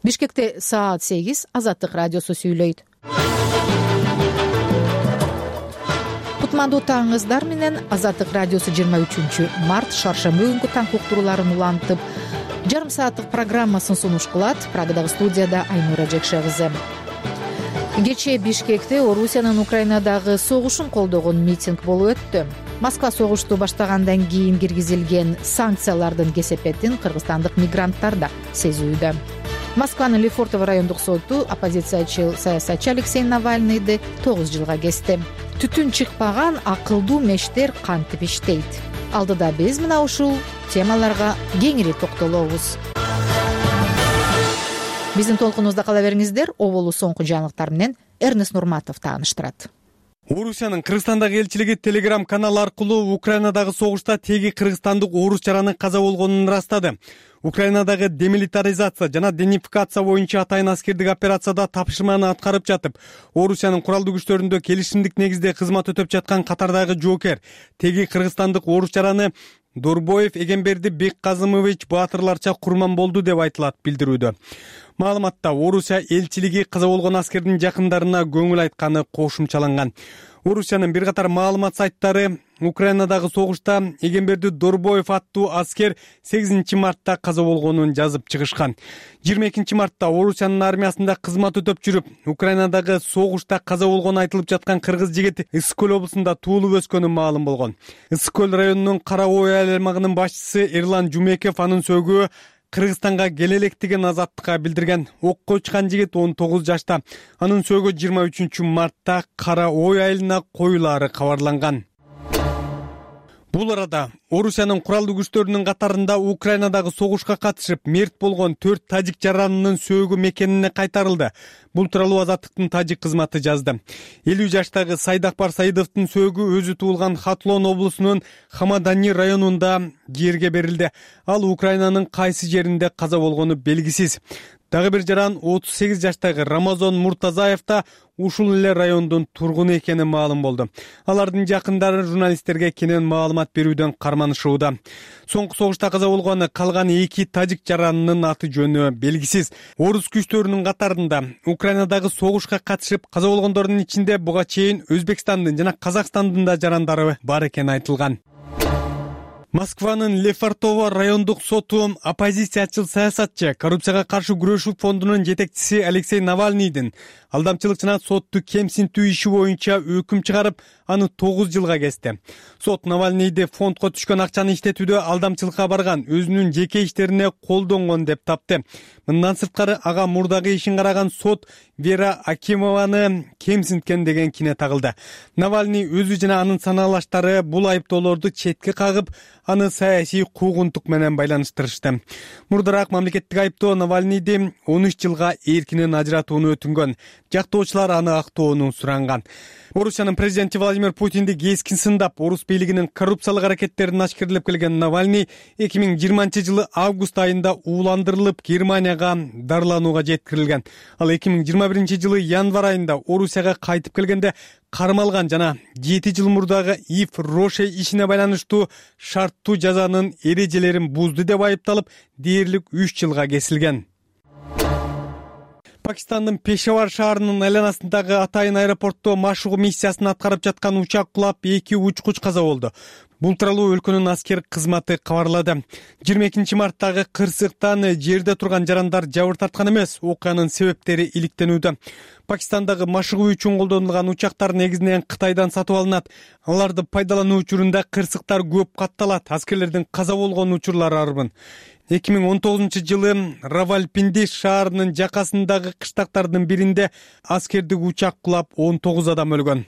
Бишкекте саат 8 Азаттык радиосу сүйлөйт. Кутмандуу таңыңыздар менен Азаттык радиосу 23 март шаршемби күнкү таң уктурууларын улантып, жарым сааттык программасын сунуш кылат. Прагадагы студияда Айнура Жекше кызы. Кечээ Бишкекте Орусиянын Украинадагы согушун колдогон митинг болуп өттү. Москва согушту баштагандан кийин киргизилген санкциялардын кесепетин кыргызстандык мигранттар да сезүүдө. Москванын Лефортово райондук соту оппозициячыл саясатчы Алексей Навальныйды 9 жылга кести. Түтүн чыкпаган акылдуу мештер кантип иштейт? Алдыда биз мына ушул темаларга кеңири токтолобуз. Биздин толкунубузда кала бериңиздер. Оболу соңку жаңылыктар менен Эрнест Нурматов тааныштырат. Орусиянын Кыргызстандагы элчилиги Telegram канал аркылуу Украинадагы согушта теги кыргызстандык орус жаранын каза болгонун ырастады. Украинадагы демилитаризация жана денификация боюнча атайын аскердик операцияда тапшырманы аткарып жатып, Орусиянын куралдуу күчтөрүндө келишимдик негизде кызмат өтөп жаткан катардагы жоокер теги кыргызстандык орус жараны Дорбоев Эгемберди Бекказымович баатырларча курман болду деп айтылат билдирүүдө. Маалыматта Орусия элчилиги каза болгон аскердин жакындарына көңүл айтканы кошумчаланган. Орусиянын бир катар маалымат сайттары Украинадагы согушта Эгемберди Дорбоев аттуу аскер 8 мартта каза болгонун жазып чыгышкан. 22 мартта Орусиянын армиясында кызмат өтөп жүрүп, Украинадагы согушта каза болгону айтылып жаткан кыргыз жигит Ысык көл облусунда туулуп өскөнү маалым болгон. Ысык көл районунун Кара Ой аймагынын башчысы Эрлан Жумеков анын сөөгү Кыргызстанга келе электигин Азаттыкка билдирген. Окко чыккан жигит 19 жашта. Анын сөөгү 23 мартта Кара Ой айылына коюлаары кабарланган. Бул арада Орусиянын куралдуу күчтөрүнүн катарында Украинадагы согушка катышып мерт болгон 4 тажик жаранынын сөөгү мекенине кайтарылды. Бул тууралуу Азаттыктын тажик кызматы жазды. 50 жаштагы Сайдакбар Саидовдун сөөгү өзү туулган Хатлон облусунун Хамадани районунда жерге берилди. Ал Украинанын кайсы жеринде каза болгону белгисиз. Дагы бир жаран 38 жаштагы Рамазон Муртазаев да ушул эле райондун тургуну экени маалым болду. Алардын жакындары журналисттерге кенен маалымат берүүдөн карманышууда. Соңку согушта каза болгон калган 2 тажик жаранынын аты жөнү белгисиз. Орус күчтөрүнүн катарында Украинадагы согушка катышып каза болгондордун ичинде буга чейин Өзбекстандын жана Казакстандын да жарандары бар экени айтылган. Москванын Лефортово райондук соту оппозициячыл саясатчы, коррупцияга каршы күрөшүү фондунун жетекчиси Алексей Навальныйдын алдамчылык жана сотту кемсинтүү иши боюнча өкүм чыгарып, аны 9 жылга кести. Сот Навальныйды фондко түшкөн акчаны иштетүүдө алдамчылыкка барган, өзүнүн жеке иштерине колдонгон деп тапты. Мындан сырткары ага мурдагы ишин караган сот Вера Акимованы кемсинткен деген кине тагылды. Навальный өзү жана анын санаалаштары бул айыптоолорду четке кагып, аны саясий куугунтук менен байланыштырышты. Мурдараак мамлекеттик айыптоо Навальныйды 13 жылга эркинен ажыратууну өтүнгөн. Жактоочулар аны актоону суранган. Орусиянын президенти Владимир Путинди кескин сындап, орус бийлигинин коррупциялык аракеттерин ашкерлеп келген Навальный 2020 жылы август айында ууландырылып Германияга дарыланууга жеткирилген. Ал 2021 жылы январь айында Орусияга кайтып келгенде кармалган жана 7 жыл мурдагы Ив Роше ишине байланыштуу шарттуу жазанын эрежелерин бузду деп айыпталып, дээрлик 3 жылга кесилген. Пакистандын Пешавар шаарынын айланасындагы атайын аэропортто машыгуу миссиясын аткарып жаткан учак кулап 2 учкуч каза болду. Бул тууралуу өлкөнүн аскер кызматы кабарлады. 22 марттагы кырсыктан жерде турган жарандар жабыр тарткан эмес, окуянын себептери иликтенүүдө. Пакистандагы машыгуу үчүн колдонулган учактар негизинен Кытайдан сатып алынат. Аларды пайдалануу учурунда кырсыктар көп катталат. Аскерлердин каза болгон учурлары арбын. 2019 жылы Равалпинди шаарынын жакасындагы кыштактардын биринде аскердик учак кулап 19 адам өлгөн.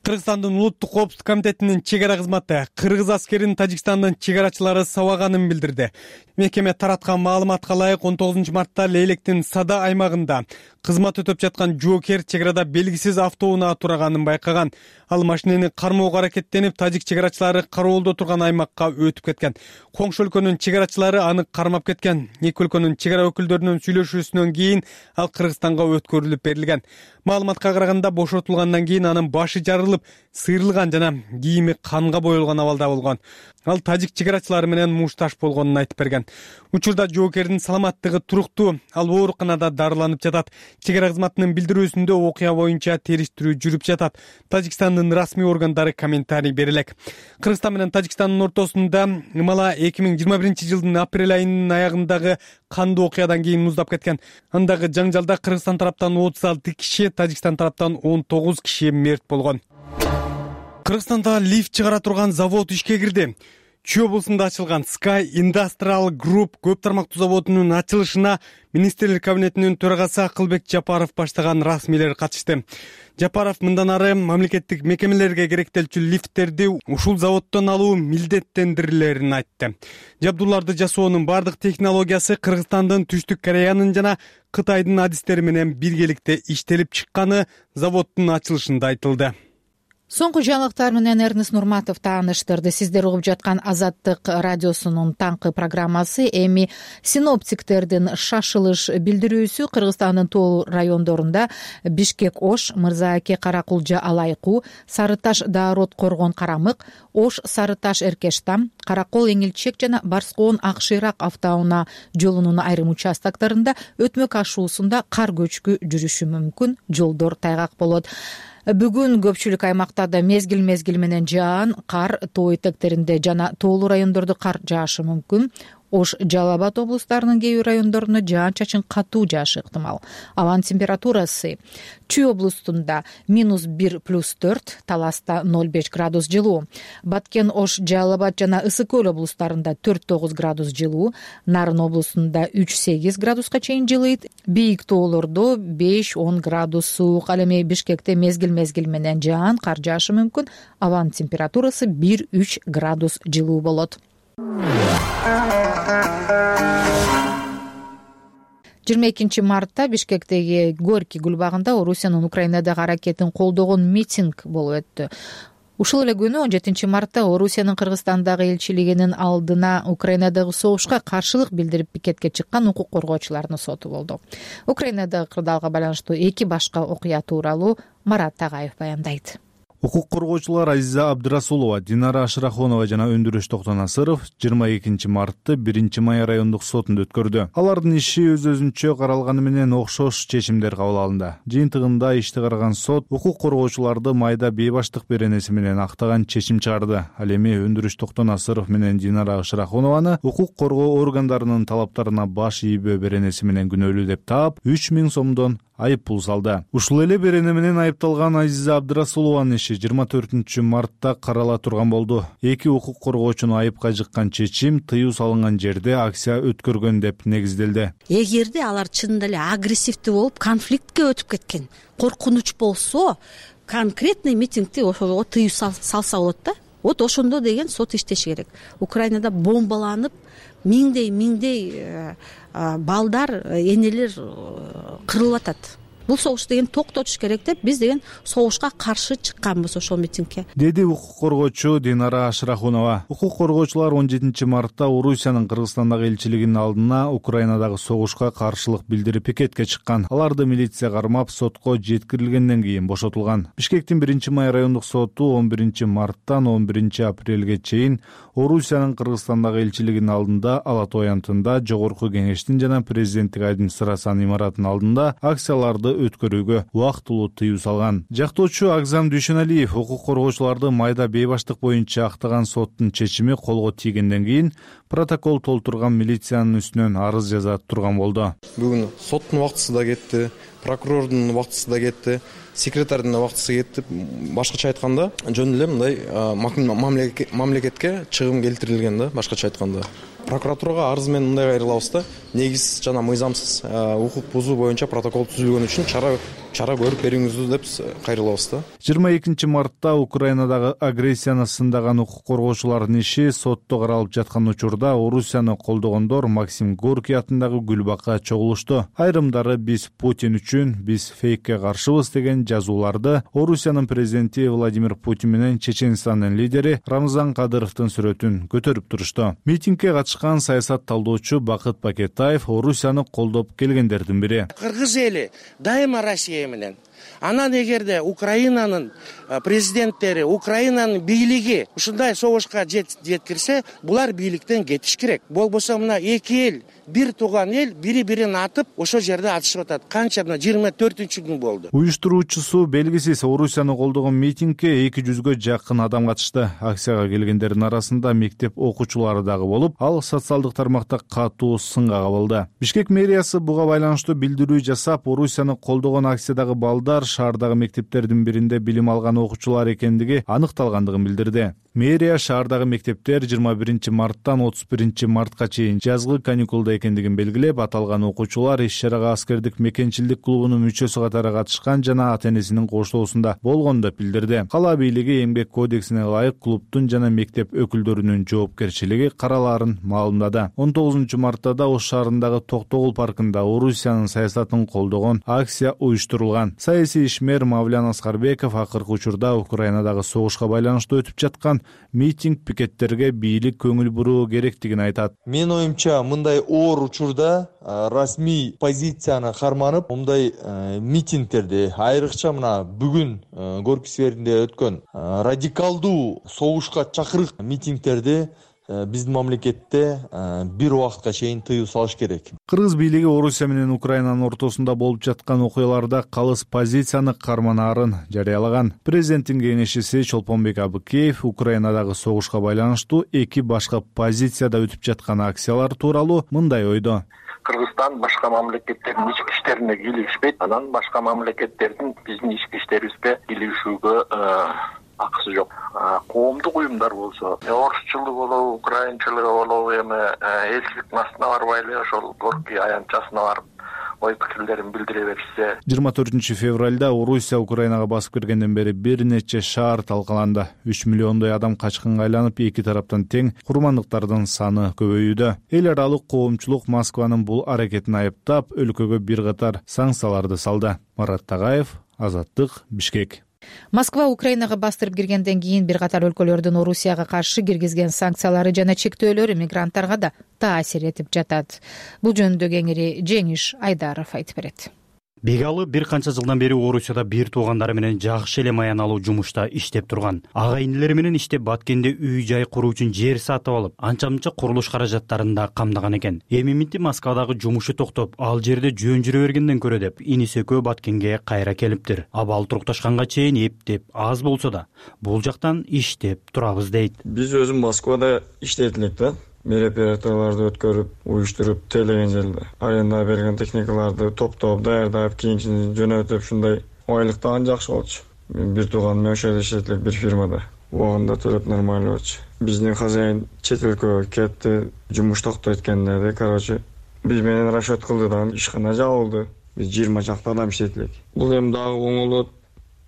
Кыргызстандын улуттук коопсуздук комитетинин чек ара кызматы кыргыз аскерин Тажикстандын чек арачылары сабаганын билдирди. Мекеме тараткан маалыматка ылайык 19 мартта Лейлектин Сада аймагында кызмат өтөп жаткан жоокер чек арада белгисиз автоунаа тураганын байкаган. Ал машинени кармоого аракеттенип, тажик чек арачылары кароолдо турган аймакка өтүп кеткен. Коңшу өлкөнүн чек арачылары аны кармап кеткен. Эки өлкөнүн чек ара өкүлдөрүнүн сүйлөшүүсүнөн кийин ал Кыргызстанга өткөрүлүп берилген. Маалыматка караганда бошотулгандан кийин анын башы жарылып калтырылып, сыйрылган жана кийими канга боелгон абалда болгон. Ал тажик чек арачылары менен мушташ болгонун айтып берген. Учурда жоокердин саламаттыгы туруктуу, ал ооруканада дарыланып жатат. Чек ара кызматынын билдирүүсүндө окуя боюнча териштирүү жүрүп жатат. Тажикстандын расмий органдары комментарий бере элек. Кыргызстан менен Тажикстандын ортосунда ымала 2021-жылдын апрель айынын аягындагы кандуу окуядан кийин муздап кеткен. Андагы жаңжалда Кыргызстан тараптан 36 киши, Тажикстан тараптан 19 киши мерт болгон. Кыргызстанда лифт чыгара турган завод ишке кирди. Чүй облусунда ачылган Sky Industrial Group көп тармактуу заводунун ачылышына министрлер кабинетинин төрагасы Акылбек Жапаров баштаган расмийлер катышты. Жапаров мындан ары мамлекеттик мекемелерге керектелчү лифттерди ушул заводдон алуу милдеттендирилерин айтты. Жабдууларды жасоонун бардык технологиясы Кыргызстандын, Түштүк Кореянын жана Кытайдын адистери менен биргеликте иштелип чыкканы заводдун ачылышында айтылды. Соңку жаңылыктар менен Эрнест Нурматов тааныштырды. Сиздер угуп жаткан Азаттык радиосунун таңкы программасы. Эми синоптиктердин шашылыш билдирүүсү Кыргызстандын тоо райондорунда Бишкек Ош, Мырзааке Каракулжа Алайкуу, Сарыташ Даарот Коргон Карамык, Ош Сарыташ Эркештам, Каракол Эңилчек жана Барскоон Акшыйрак автоунаа жолунун айрым участоктарында өтмөк ашуусунда кар көчкү жүрүшү мүмкүн, жолдор тайгак болот. Бүгүн көпчүлүк аймактарда мезгил менен жаан, кар, тоо этектеринде жана тоолуу райондордо кар жаашы мүмкүн. Ош, Жалал Абад облустарынын кээ бир райондоруна жаан-чачын катуу жаашы ыктымал. Абанын температурасы Чүй облустунда -1+4, Таласта 0,5 градус жылуу. Баткен, Ош, Жалал Абад жана Ысык Көл облустарында 4,9 градус жылуу. Нарын облустунда 3,8 градуска чейин жылыйт. Бийик тоолордо 5-10 градус суук. Ал эми Бишкекте мезгил менен жаан, кар жаашы мүмкүн. Абанын температурасы 1-3 градус жылуу болот. 22 мартта Бишкектеги Горький гүлбагында Орусиянын Украинадагы аракетин колдогон митинг болуп өттү. Ушул эле күнү 17 мартта Орусиянын Кыргызстандагы элчилигинин алдына Украинадагы согушка каршылык билдирип пикетке чыккан укук коргоочулардын соту болду. Украинадагы кырдаалга байланыштуу 2 башка окуя тууралуу Марат Тагаев баяндайт. Укук коргоочулар Азиза Абдырасулова, Динара Ашрахонова жана Өндүрүш Токтонасыров 22 мартты 1 май райондук сотунда өткөрдү. Алардын иши өз-өзүнчө каралганы менен окшош чечимдер кабыл алынды. Жыйынтыгында ишти караган сот укук коргоочуларды майда бейбаштык беренеси менен актаган чечим чыгарды. Ал эми Өндүрүш Токтонасыров менен Динара Ашрахонованы укук коргоо органдарынын талаптарына баш ийбөө беренеси менен күнөөлүү деп таап 3000 сомдон айып пул салды. Ушул эле берене менен айыпталган Азиза Абдырасулованын иши 24 мартта карала турган болду. Эки укук коргоочуну айыпка жыккан чечим тыюу салынган жерде акция өткөргөн деп негизделди. Эгерде алар чынында эле агрессивдүү болуп, конфликтке өтүп кеткен, коркунуч болсо, конкретный митингди ошого тыюу салса болот да. Вот ошондо деген сот иштеши керек. Украинада бомбаланып, миңдей балдар, энелер кырылып атат. Бул согуш деген токтотуш керек деп биз деген согушка каршы чыкканбыз ошол митингге, деди укук коргоочу Динара Ашрахунова. Укук коргоочулар 17 мартта Орусиянын Кыргызстандагы элчилигинин алдына Украинадагы согушка каршылык билдирип пикетке чыккан. Аларды милиция кармап, сотко жеткирилгенден кийин бошотулган. Бишкектин 1 май райондук соту 11 марттан 11 апрелге чейин Орусиянын Кыргызстандагы элчилигинин алдында, Ала Тоо аянтында, Жогорку Кеңештин жана президенттик администрациянын имаратынын алдында акцияларды өткөрүүгө убактылуу тыюу салган. Жактоочу Акзам Дүйшөналиев укук коргоочуларды майда бейбаштык боюнча актаган соттун чечими колго тийгенден кийин протокол толтурган милициянын үстүнөн арыз жаза турган болду. Бүгүн соттун убактысы да кетти, прокурордун убактысы да кетти, секретардын убактысы кетти. Башкача айтканда, жөн эле мындай мамлекетке чыгым келтирилген да, башкача айтканда. Прокуратурага арыз менен мындай кайрылабыз да, негиз жана мыйзамсыз укук бузуу боюнча протокол түзүлгөн үчүн чара көрүп бериңиздүү деп кайрылабыз да. 22 мартта Украинадагы агрессияны сындаган укук коргоочулардын иши сотто каралып жаткан учурда Орусияны колдогондор Максим Горький атындагы гүлбакка чогулушту. Айрымдары биз Путин үчүн, биз фейкке каршыбыз деген жазууларды Орусиянын президенти Владимир Путин менен Чеченстандын лидери Рамзан Кадыровдун сүрөтүн көтөрүп турушту. Митингге катышкан саясат талдоочу Бакыт Пакетаев Орусияны колдоп келгендердин бири. Кыргыз эли дайыма Россия менен Анан эгерде Украинанын президенттери, Украинанын бийлиги ушундай согушка жеткирсе, булар бийликтен кетиш керек. Болбосо мына эки эл, бир тууган эл бири-бирин атып, ошол жерде атышып атат. Канча мына 24-күн болду. Уюштуруучусу белгисиз Орусияны колдогон митингге 200гө жакын адам катышты. Акцияга келгендердин арасында мектеп окуучулары дагы болуп, ал социалдык тармакта катуу сынга кабылды. Бишкек мэриясы буга байланыштуу билдирүү жасап, Орусияны колдогон акциядагы балдар шаардагы мектептердин биринде билим алган окуучулар экендиги аныкталгандыгын билдирди. Мэрия шаардагы мектептер 21 марттан 31 мартка чейин жазгы каникулда экендигин белгилеп, аталган окуучулар иш-чарага аскердик мекенчилдик клубунун мүчөсү катары катышкан жана ата-энесинин коштоосунда болгонун да билдирди. Кала бийлиги эмгек кодексине ылайык клубтун жана мектеп өкүлдөрүнүн жоопкерчилиги каралаарын маалымдады. 19 мартта да Ош шаарындагы Токтогул паркында Орусиянын саясатын колдогон акция уюштурулган. Саясий ишмер Мавлян Аскарбеков акыркы учурда Украинадагы согушка байланыштуу өтүп жаткан митинг пикеттерге бийлик көңүл буруу керектигин айтат. Менин оюмча, мындай оор учурда расмий позицияны карманып, мындай митингтерди, айрыкча мына бүгүн Горький скверинде өткөн радикалдуу согушка чакырык митингтерди биздин мамлекетте бир убакытка чейин тыюу салыш керек. Кыргыз бийлиги Орусия менен Украинанын ортосунда болуп жаткан окуяларда калыс позицияны карманаарын жарыялаган. Президенттин кеңешчиси Чолпонбек Абыкеев Украинадагы согушка байланыштуу эки башка позицияда өтүп жаткан акциялар тууралуу мындай ойдо. Кыргызстан башка мамлекеттердин ички иштерине кийлигишпейт. Анан башка мамлекеттердин биздин ички иштерибизге кийлигишүүгө акысы жок. Коомдук уюмдар болсо, орусчулук болобу, украинчылыгы болобу, эми элчиликтин астына барбай эле ошол Горький аянтчасына барып ой пикирлерин билдире беришсе. 24 февралда Орусия Украинага басып киргенден бери бир нече шаар талкаланды. 3 миллиондой адам качкынга айланып, эки тараптан тең курмандыктардын саны көбөйүүдө. Эл аралык коомчулук Москванын бул аракетин айыптап, өлкөгө бир катар санкцияларды салды. Марат Тагаев, Азаттык, Бишкек. Москва Украинага бастырып киргенден кийин бир катар өлкөлөрдүн Орусияга каршы киргизген санкциялары жана чектөөлөрү мигранттарга да таасир этип жатат. Бул жөнүндө кеңири Жеңиш Айдаров айтып берет. Бегалы бир канча жылдан бери Орусияда бир туугандары менен жакшы эле маяналуу жумушта иштеп турган. Ага инилери менен иштеп Баткенде үй-жай куруу үчүн жер сатып алып, анча-мынча курулуш каражаттарын да камдаган экен. Эми мынти Москвадагы жумушу токтоп, ал жерде жөн жүрө бергенден көрө деп иниси экөө Баткенге кайра келиптир. Абал турукташканга чейин эптеп аз болсо да бул жактан иштеп турабыз дейт. Биз өзүм Москвада иштейт элек да. Мероприятияларды өткөрүп, уюштуруп, тейлеген жерде аренда берген техникаларды топтоп, даярдап, кийин жөнөтүп, ушундай айлыктан жакшы болчу. Мен бир тууганым ошол жерде иштейт элек бир фирмада. Убагында төлөп нормально болчу. Биздин хозяин чет өлкөгө кетти, жумуш токтойт экен деди. Короче, биз менен расчет кылды да ишкана жабылды. Биз 20 чакты адам иштейт элек. Бул эми дагы оңолот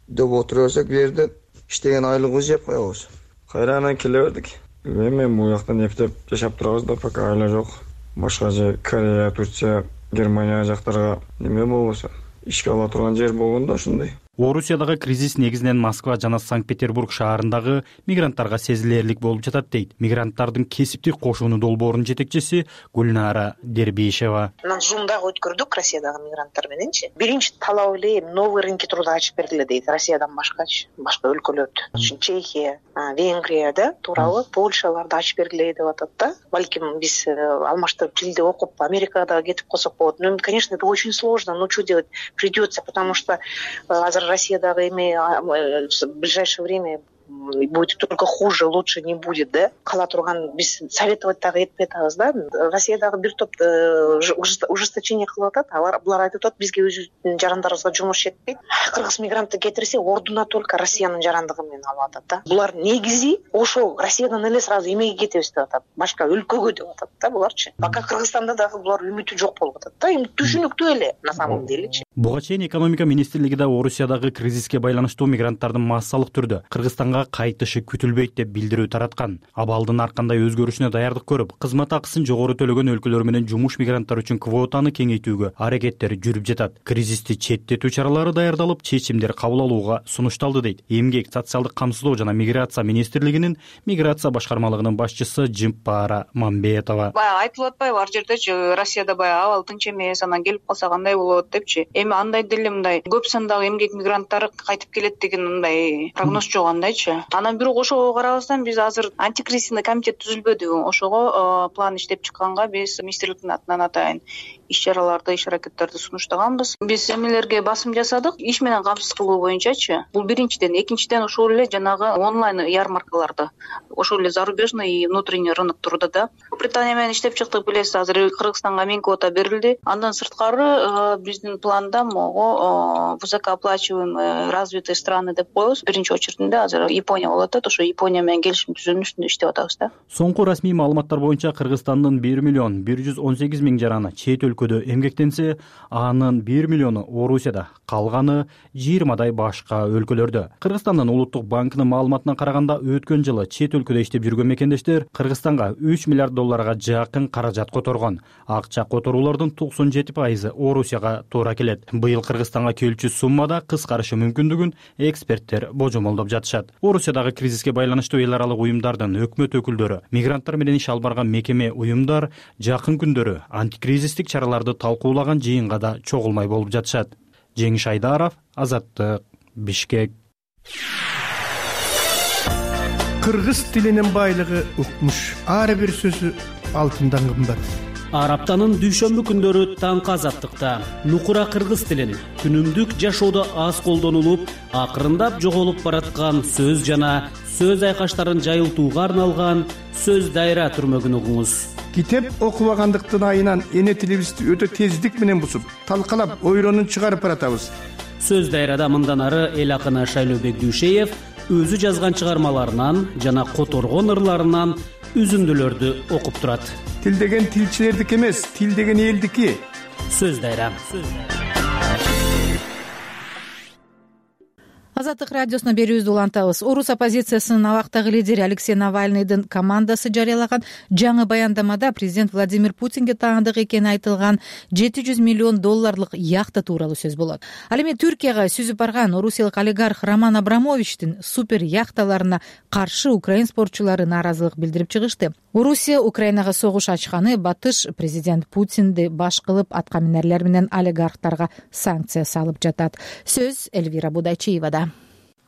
деп отурсак, бу жерде иштеген айлыгыбыз жеп коебуз. Кайрадан келе бердик. Мен бул жактан эптеп жашап турабыз да, пока айла жок. Башка же Корея, Турция, Германия жактарга неме болбосо ишке ала турган жер болгондо ушундай. Орусиядагы кризис негизинен Москва жана Санкт-Петербург шаарындагы мигранттарга сезилерлик болуп жатат дейт мигранттардын кесиптик кошууну долбоорунун жетекчиси Гүлнара Дербишева. Зумдагы өткөрдүк Россиядагы мигранттар мененчи. Биринчи талап эле новый рынки труда ачып бергиле дейт. Россиядан башкачы, башка өлкөлөрдө, Чехия, Венгрияда тууралуу Польшаларды ачып бергиле деп атат да. Балким биз алмаштырып тилди окуп Америкага кетип калсак болот. Ну, конечно, это очень сложно, но что делать? Придется, потому что Россиядагы эми в ближайшее время будет только хуже, лучше не будет, да? Кала турган биз советовать дагы этпей атабыз да. Россиядагы бир топ ужесточение кылып атат. Булар айтып атат, бизге өзүбүздүн жарандарыбызга жумуш жетпейт. Кыргыз мигрантты кетирсе, ордуна только Россиянын жарандыгы менен алып атат да. Булар негизи ошол Россиядан эле сразу эмеге кетебиз деп атат. Башка өлкөгө деп атат да буларчы. Пока Кыргызстанда дагы булар үмүтү жок болуп атат да. Эми түшүнүктүү эле на самом делечи. Буга чейин экономика министрлиги да Орусиядагы кризиске байланыштуу мигранттардын массалык түрдө Кыргызстанга кайтышы күтүлбөйт деп билдирүү тараткан. Абалдын ар кандай өзгөрүшүнө даярдык көрүп, кызмат акысын жогору төлөгөн өлкөлөр менен жумуш мигранттар үчүн квотаны кеңейтүүгө аракеттер жүрүп жатат. Кризисти четтетүү чаралары даярдалып, чечимдер кабыл алууга сунушталды дейт Эмгек, социалдык камсыздоо жана миграция министрлигинин миграция башкармалыгынын башчысы Жимпара Мамбетова. Баягы айтылып атпайбы, ар жердечи Россияда баягы абал тынч эмес, анан келип калса кандай болот депчи. Эми андай деле мындай көп сандагы эмгек мигранттары кайтып келет деген мындай прогноз жок андайчы. Анан бирок ошого карабастан биз азыр антикризисный комитет түзүлбөдү. Ошого план иштеп чыкканга биз министрликтин атынан атайын иш чараларды, иш аракеттерди сунуштаганбыз. Биз эмелерге басым жасадык, иш менен камсыз кылуу боюнчачы. Бул биринчиден, экинчиден ошол эле жанагы онлайн ярмаркаларды, ошол эле зарубежный и внутренний рынок турда да. Британия менен иштеп чыктык, билесиз, азыр Кыргызстанга мен квота берилди. Андан сырткары биздин планда могу высокооплачиваемые развитые страны деп коебуз. Биринчи очерединде азыр Япония болуп атат. Ошо Япония менен келишим түзүүнүн үстүндө иштеп атабыз да. Соңку расмий маалыматтар боюнча Кыргызстандын 1,118,000 жараны чет өлкөдө эмгектенсе, анын 1 миллиону Орусияда, калганы 20дай башка өлкөлөрдө. Кыргызстандын улуттук банкынын маалыматына караганда, өткөн жылы чет өлкөдө иштеп жүргөн мекендештер Кыргызстанга 3 миллиард долларга жакын каражат которгон. Акча которуулардын 97% Орусияга туура келет. Быйыл Кыргызстанга келчү суммада кыскарышы мүмкүндүгүн эксперттер божомолдоп жатышат. Орусиядагы кризиске байланыштуу эл аралык уюмдардын өкмөт өкүлдөрү, мигранттар менен иш алып барган мекеме уюмдар жакын күндөрү антикризистик чараларды талкуулаган жыйынга да чогулмай болуп жатышат. Жеңиш Айдаров, Азаттык, Бишкек. Кыргыз тилинин байлыгы укмуш. Ар бир сөзү алтындан кымбат. Ар аптанын дүйшөмбү күндөрү таңкы Азаттыкта нукура кыргыз тилин күнүмдүк жашоодо аз колдонулуп, акырындап жоголуп бараткан сөз жана сөз айкаштарын жайылтууга арналган сөз дайра түрмөгүн угуңуз. Китеп окубагандыктын айынан эне тилибизди өтө тездик менен бусуп, талкалап, ойронун чыгарып баратабыз. Сөз дайрада мындан ары эл акыны Шайлообек Дүйшеев өзү жазган чыгармаларынан жана которгон ырларынан үзүндүлөрдү окуп турат. Тил деген тилчилердики эмес, тил деген элдики. Сөз дайра. Азаттык радиосуна берүүбүздү улантабыз. Орус оппозициясынын абактагы лидери Алексей Навальныйдын командасы жарыялаган жаңы баяндамада президент Владимир Путинге таандык экени айтылган 700 миллион долларлык яхта тууралуу сөз болот. Ал эми Түркияга сүзүп барган орусиялык олигарх Роман Абрамовичтин супер яхталарына каршы украин спортчулары нааразылык билдирип чыгышты. Орусия Украинага согуш ачканы батыш президент Путинди баш кылып аткаминерлер менен олигархтарга санкция салып жатат. Сөз Эльвира Будайчиевада.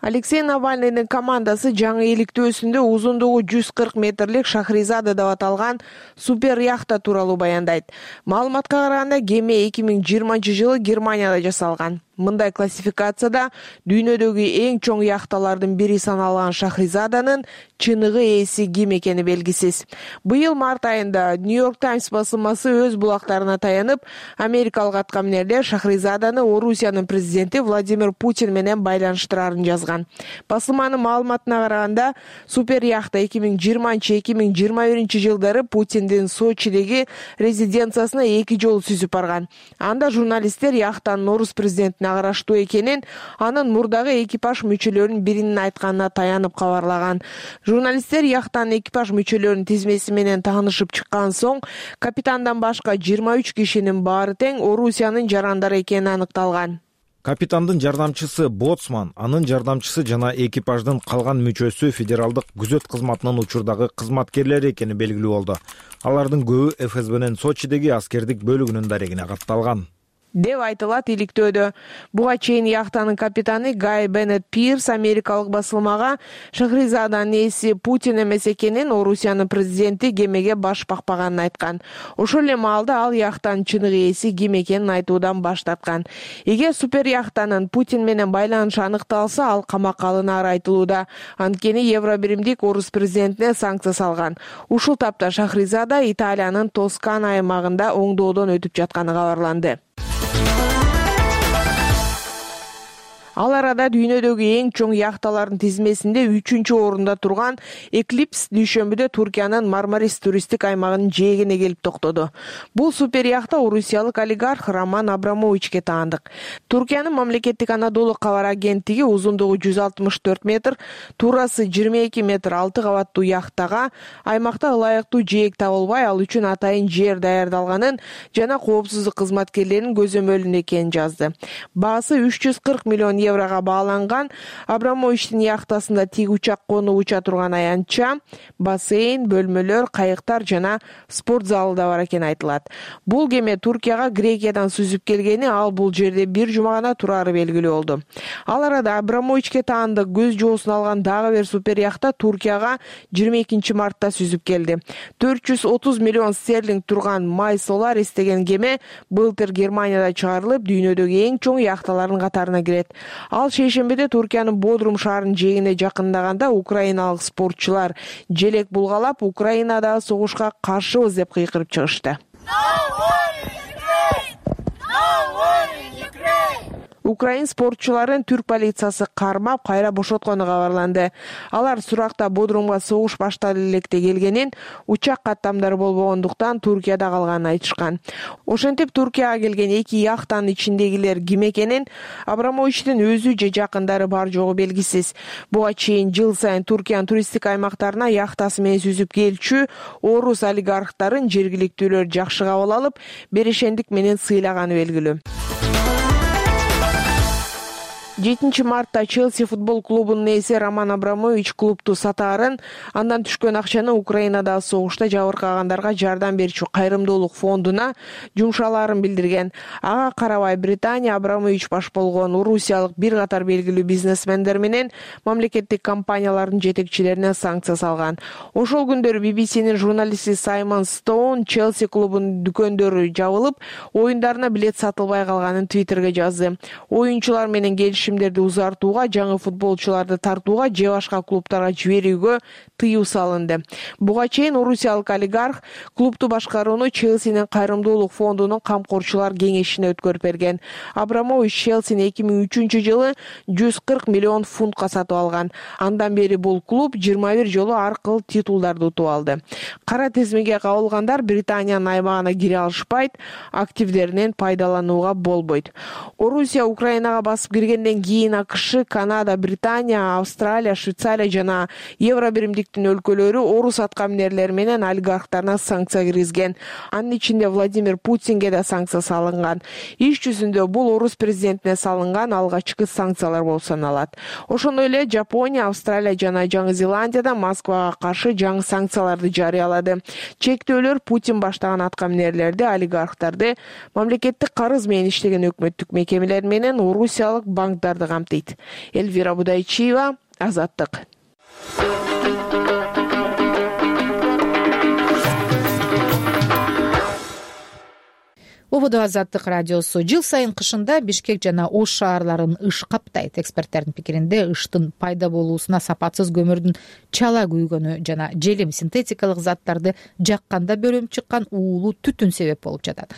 Алексей Навальныйдын командасы жаңы иликтөөсүндө узундугу 140 метрлик Шахризада деп аталган супер яхта тууралуу баяндайт. Маалыматка караганда кеме 2020-жылы Германияда жасалган. Мындай классификацияда дүйнөдөгү эң чоң яхталардын бири саналган Шахризаданын чыныгы ээси ким экени белгисиз. Быйыл март айында Нью-Йорк Таймс басылмасы өз булактарына таянып, америкалык аткаминерлер Шахризаданы Орусиянын президенти Владимир Путин менен байланыштырарын жазган. Басылманын маалыматына караганда, супер яхта 2020-2021 жылдары Путиндин Сочидеги резиденциясына 2 жолу сүзүп барган. Анда журналисттер яхтанын орус президентине караштуу экенин, анын мурдагы экипаж мүчөлөрүнүн биринин айтканына таянып кабарлаган. Журналисттер яхтанын экипаж мүчөлөрүнүн тизмеси менен таанышып чыккан соң, капитандан башка 23 кишинин баары тең Орусиянын жарандары экени аныкталган. Капитандын жардамчысы боцман, анын жардамчысы жана экипаждын калган мүчөсү федералдык күзөт кызматынын учурдагы кызматкерлери экени белгилүү болду. Алардын көбү ФСБнын Сочидеги аскердик бөлүгүнүн дарегине катталган деп айтылат иликтөөдө. Буга чейин яхтанын капитаны Гай Беннет Пирс америкалык басылмага Шахризаданын ээси Путин эмес экенин, Орусиянын президенти кемеге баш бакпаганын айткан. Ошол эле маалда ал яхтанын чыныгы ээси ким экенин айтуудан баш тарткан. Эгер супер яхтанын Путин менен байланышы аныкталса, ал камакка алынары айтылууда. Анткени Евробиримдик орус президентине санкция салган. Ушул тапта Шахризада Италиянын Тоскана аймагында оңдоодон өтүп жатканы кабарланды. Ал арада дүйнөдөгү эң чоң яхталардын тизмесинде 3-орунда турган Эклипс дүйшөмбүдө Туркиянын Мармарис туристтик аймагынын жээгине келип токтоду. Бул супер яхта орусиялык олигарх Роман Абрамовичке таандык. Туркиянын мамлекеттик Анадолу кабар агенттиги узундугу 164 метр, туурасы 22 метр 6 кабаттуу яхтага аймакта ылайыктуу жээк табылбай, ал үчүн атайын жер даярдалганын жана коопсуздук кызматкерлеринин көзөмөлүндө экенин жазды. Баасы 340 миллион еврого бааланган Абрамовичтин яхтасында тик учак конуп уча турган аянтча, бассейн, бөлмөлөр, кайыктар жана спорт залы да бар экени айтылат. Бул кеме Туркияга Грекиядан сүзүп келгени, ал бул жерде бир жума гана турары белгилүү болду. Ал арада Абрамовичке таандык көз жоосун алган дагы бир супер яхта Туркияга 22-мартта сүзүп келди. 430 миллион стерлинг турган Май Соларис деген кеме былтыр Германияда чыгарылып, дүйнөдөгү эң чоң яхталардын катарына кирет. Ал шейшембиде Туркиянын Бодрум шаарынын жээгине жакындаганда украиналык спортчулар желек булгалап, Украинадагы согушка каршыбыз деп кыйкырып чыгышты. Украин спортчуларын түрк полициясы кармап, кайра бошоткону кабарланды. Алар суракта Бодрумга согуш башталып электе келгенин, учак каттамдары болбогондуктан Туркияда калганын айтышкан. Ошентип Туркияга келген эки яхтанын ичиндегилер ким экенин Абрамовичтин өзү же жакындары бар жогу белгисиз. Буга чейин жыл сайын Туркиянын туристтик аймактарына яхтасы менен сүзүп келчү орус олигархтарын жергиликтүүлөр жакшы кабыл алып, берешендик менен сыйлаганы белгилүү. 7-мартта Челси футбол клубунун ээси Роман Абрамович клубту сатаарын, андан түшкөн акчаны Украинадагы согушта жабыркагандарга жардам берүүчү кайрымдуулук фондуна жумшалаарын билдирген. Ага карабай Британия Абрамович баш болгон Орусиялык бир катар белгилүү бизнесмендер менен мамлекеттик компаниялардын жетекчилерине санкция салган. Ошол күндөрү BBC'нин журналисти Саймон Стоун Челси клубунун дүкөндөрү жабылып, оюндарына билет сатылбай калганын Twitterге жазды. Оюнчулар менен келишимдерди узартууга, жаңы футболчуларды тартууга же башка клубтарга жиберүүгө тыюу салынды. Буга чейин орусиялык олигарх клубту башкарууну Челсинин кайрымдуулук фондунун камкорчулар кеңешине өткөрүп берген. Абрамович Челсини 2003-жылы 140 миллион фунтка сатып алган. Андан бери бул клуб 21 жолу ар кыл титулдарды утуп алды. Кара тизмеге кабылгандар Британиянын аймагына кире алышпайт, активдеринен пайдаланууга болбойт. Орусия Украинага басып киргенден кийин АКШ, Канада, Британия, Австралия, Швейцария жана Евро биримдиктин өлкөлөрү орус аткаминерлери менен олигархтарына санкция киргизген. Анын ичинде Владимир Путинге да санкция салынган. Иш жүзүндө бул орус президентине салынган алгачкы санкциялар болуп саналат. Ошондой эле Жапония, Австралия жана Жаңы Зеландияда Москвага каршы жаңы санкцияларды жарыялады. Чектөөлөр Путин баштаган аткаминерлерди, олигархтарды, мамлекеттик карыз менен иштеген өкмөттүк мекемелер менен орусиялык банктарды камтыйт. Эльвира Будайчиева, Азаттык. Ободо Азаттык радиосу. Жыл сайын кышында Бишкек жана Ош шаарларын ыш каптайт. Эксперттердин пикиринде ыштын пайда болуусуна сапатсыз көмүрдүн чала күйгөнү жана желим синтетикалык заттарды жакканда бөлүнүп чыккан уулуу түтүн себеп болуп жатат.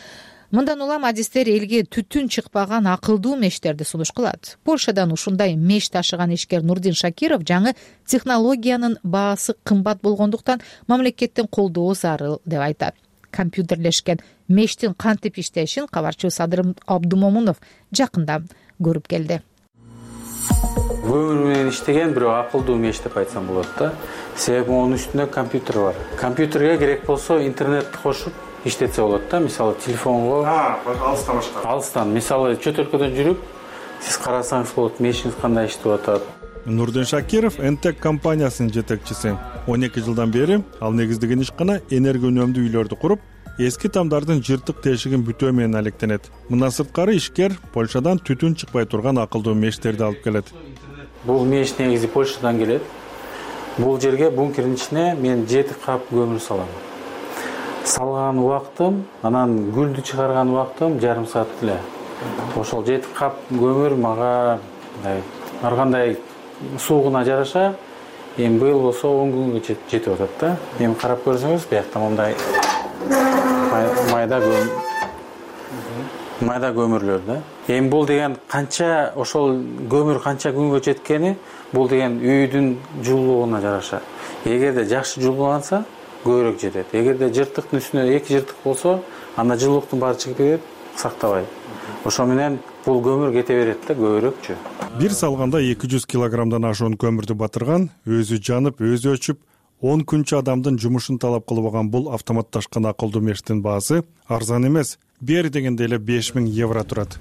Мындан улам адистер элге түтүн чыкпаган акылдуу мештерди сунуш кылат. Польшадан ушундай меш ташыган ишкер Нурдин Шакиров жаңы технологиянын баасы кымбат болгондуктан мамлекеттин колдоо зарыл деп айтат. Компьютерлешкен мештин кантип иштешин кабарчыбыз Садыр Абдумомунов жакында көрүп келди. Көмүр менен иштеген бирок акылдуу меш деп айтсам болот да. Себеби анын үстүндө компьютер бар. Компьютерге керек болсо интернетти кошуп иштетсе болот да. Мисалы телефонго алыстан башка. Алыстан, мисалы чөт өлкөдөн жүрүп, сиз карасаңыз болот, мешиңиз кандай иштеп атат. Нурдин Шакиров Энтек компаниясынын жетекчиси. 12 жылдан бери ал негиздеген ишкана энергия үнөмдүү үйлөрдү куруп, эски тамдардын жыртык тешигин бүтөө менен алектенет. Мындан сырткары ишкер Польшадан түтүн чыкпай турган акылдуу мештерди алып келет. Бул меш негизи Польшадан келет. Бул жерге бункердин ичине мен 7 кап көмүр салам. Салган убактым, анан гүлдү чыгарган убактым жарым саат эле. Ошол 7 кап көмүр мага ар кандай суугуна жараша, эми быйыл болсо 10 күнгө жетип атат да. Эми карап көрсөңүз, биякта мындай майда көмүрлөр да. Эми бул деген канча ошол көмүр канча күнгө жеткени, бул деген үйдүн жылуулугуна жараша. Эгерде жакшы жылууланса, көбүрөөк жетет. Эгерде жыртыктын үстүнө 2 жыртык болсо, анда жылуулуктун баары чыгып кетет, сактабай. Ошо менен бул көмүр кете берет да көбүрөөкчү. Бир салганда 200 килограммдан ашуун көмүрдү батырган, өзү жанып, өзү өчүп, 10 күнчө адамдын жумушун талап кылбаган бул автоматташкан акылдуу мештин баасы арзан эмес. Бери дегенде эле 5000 евро турат.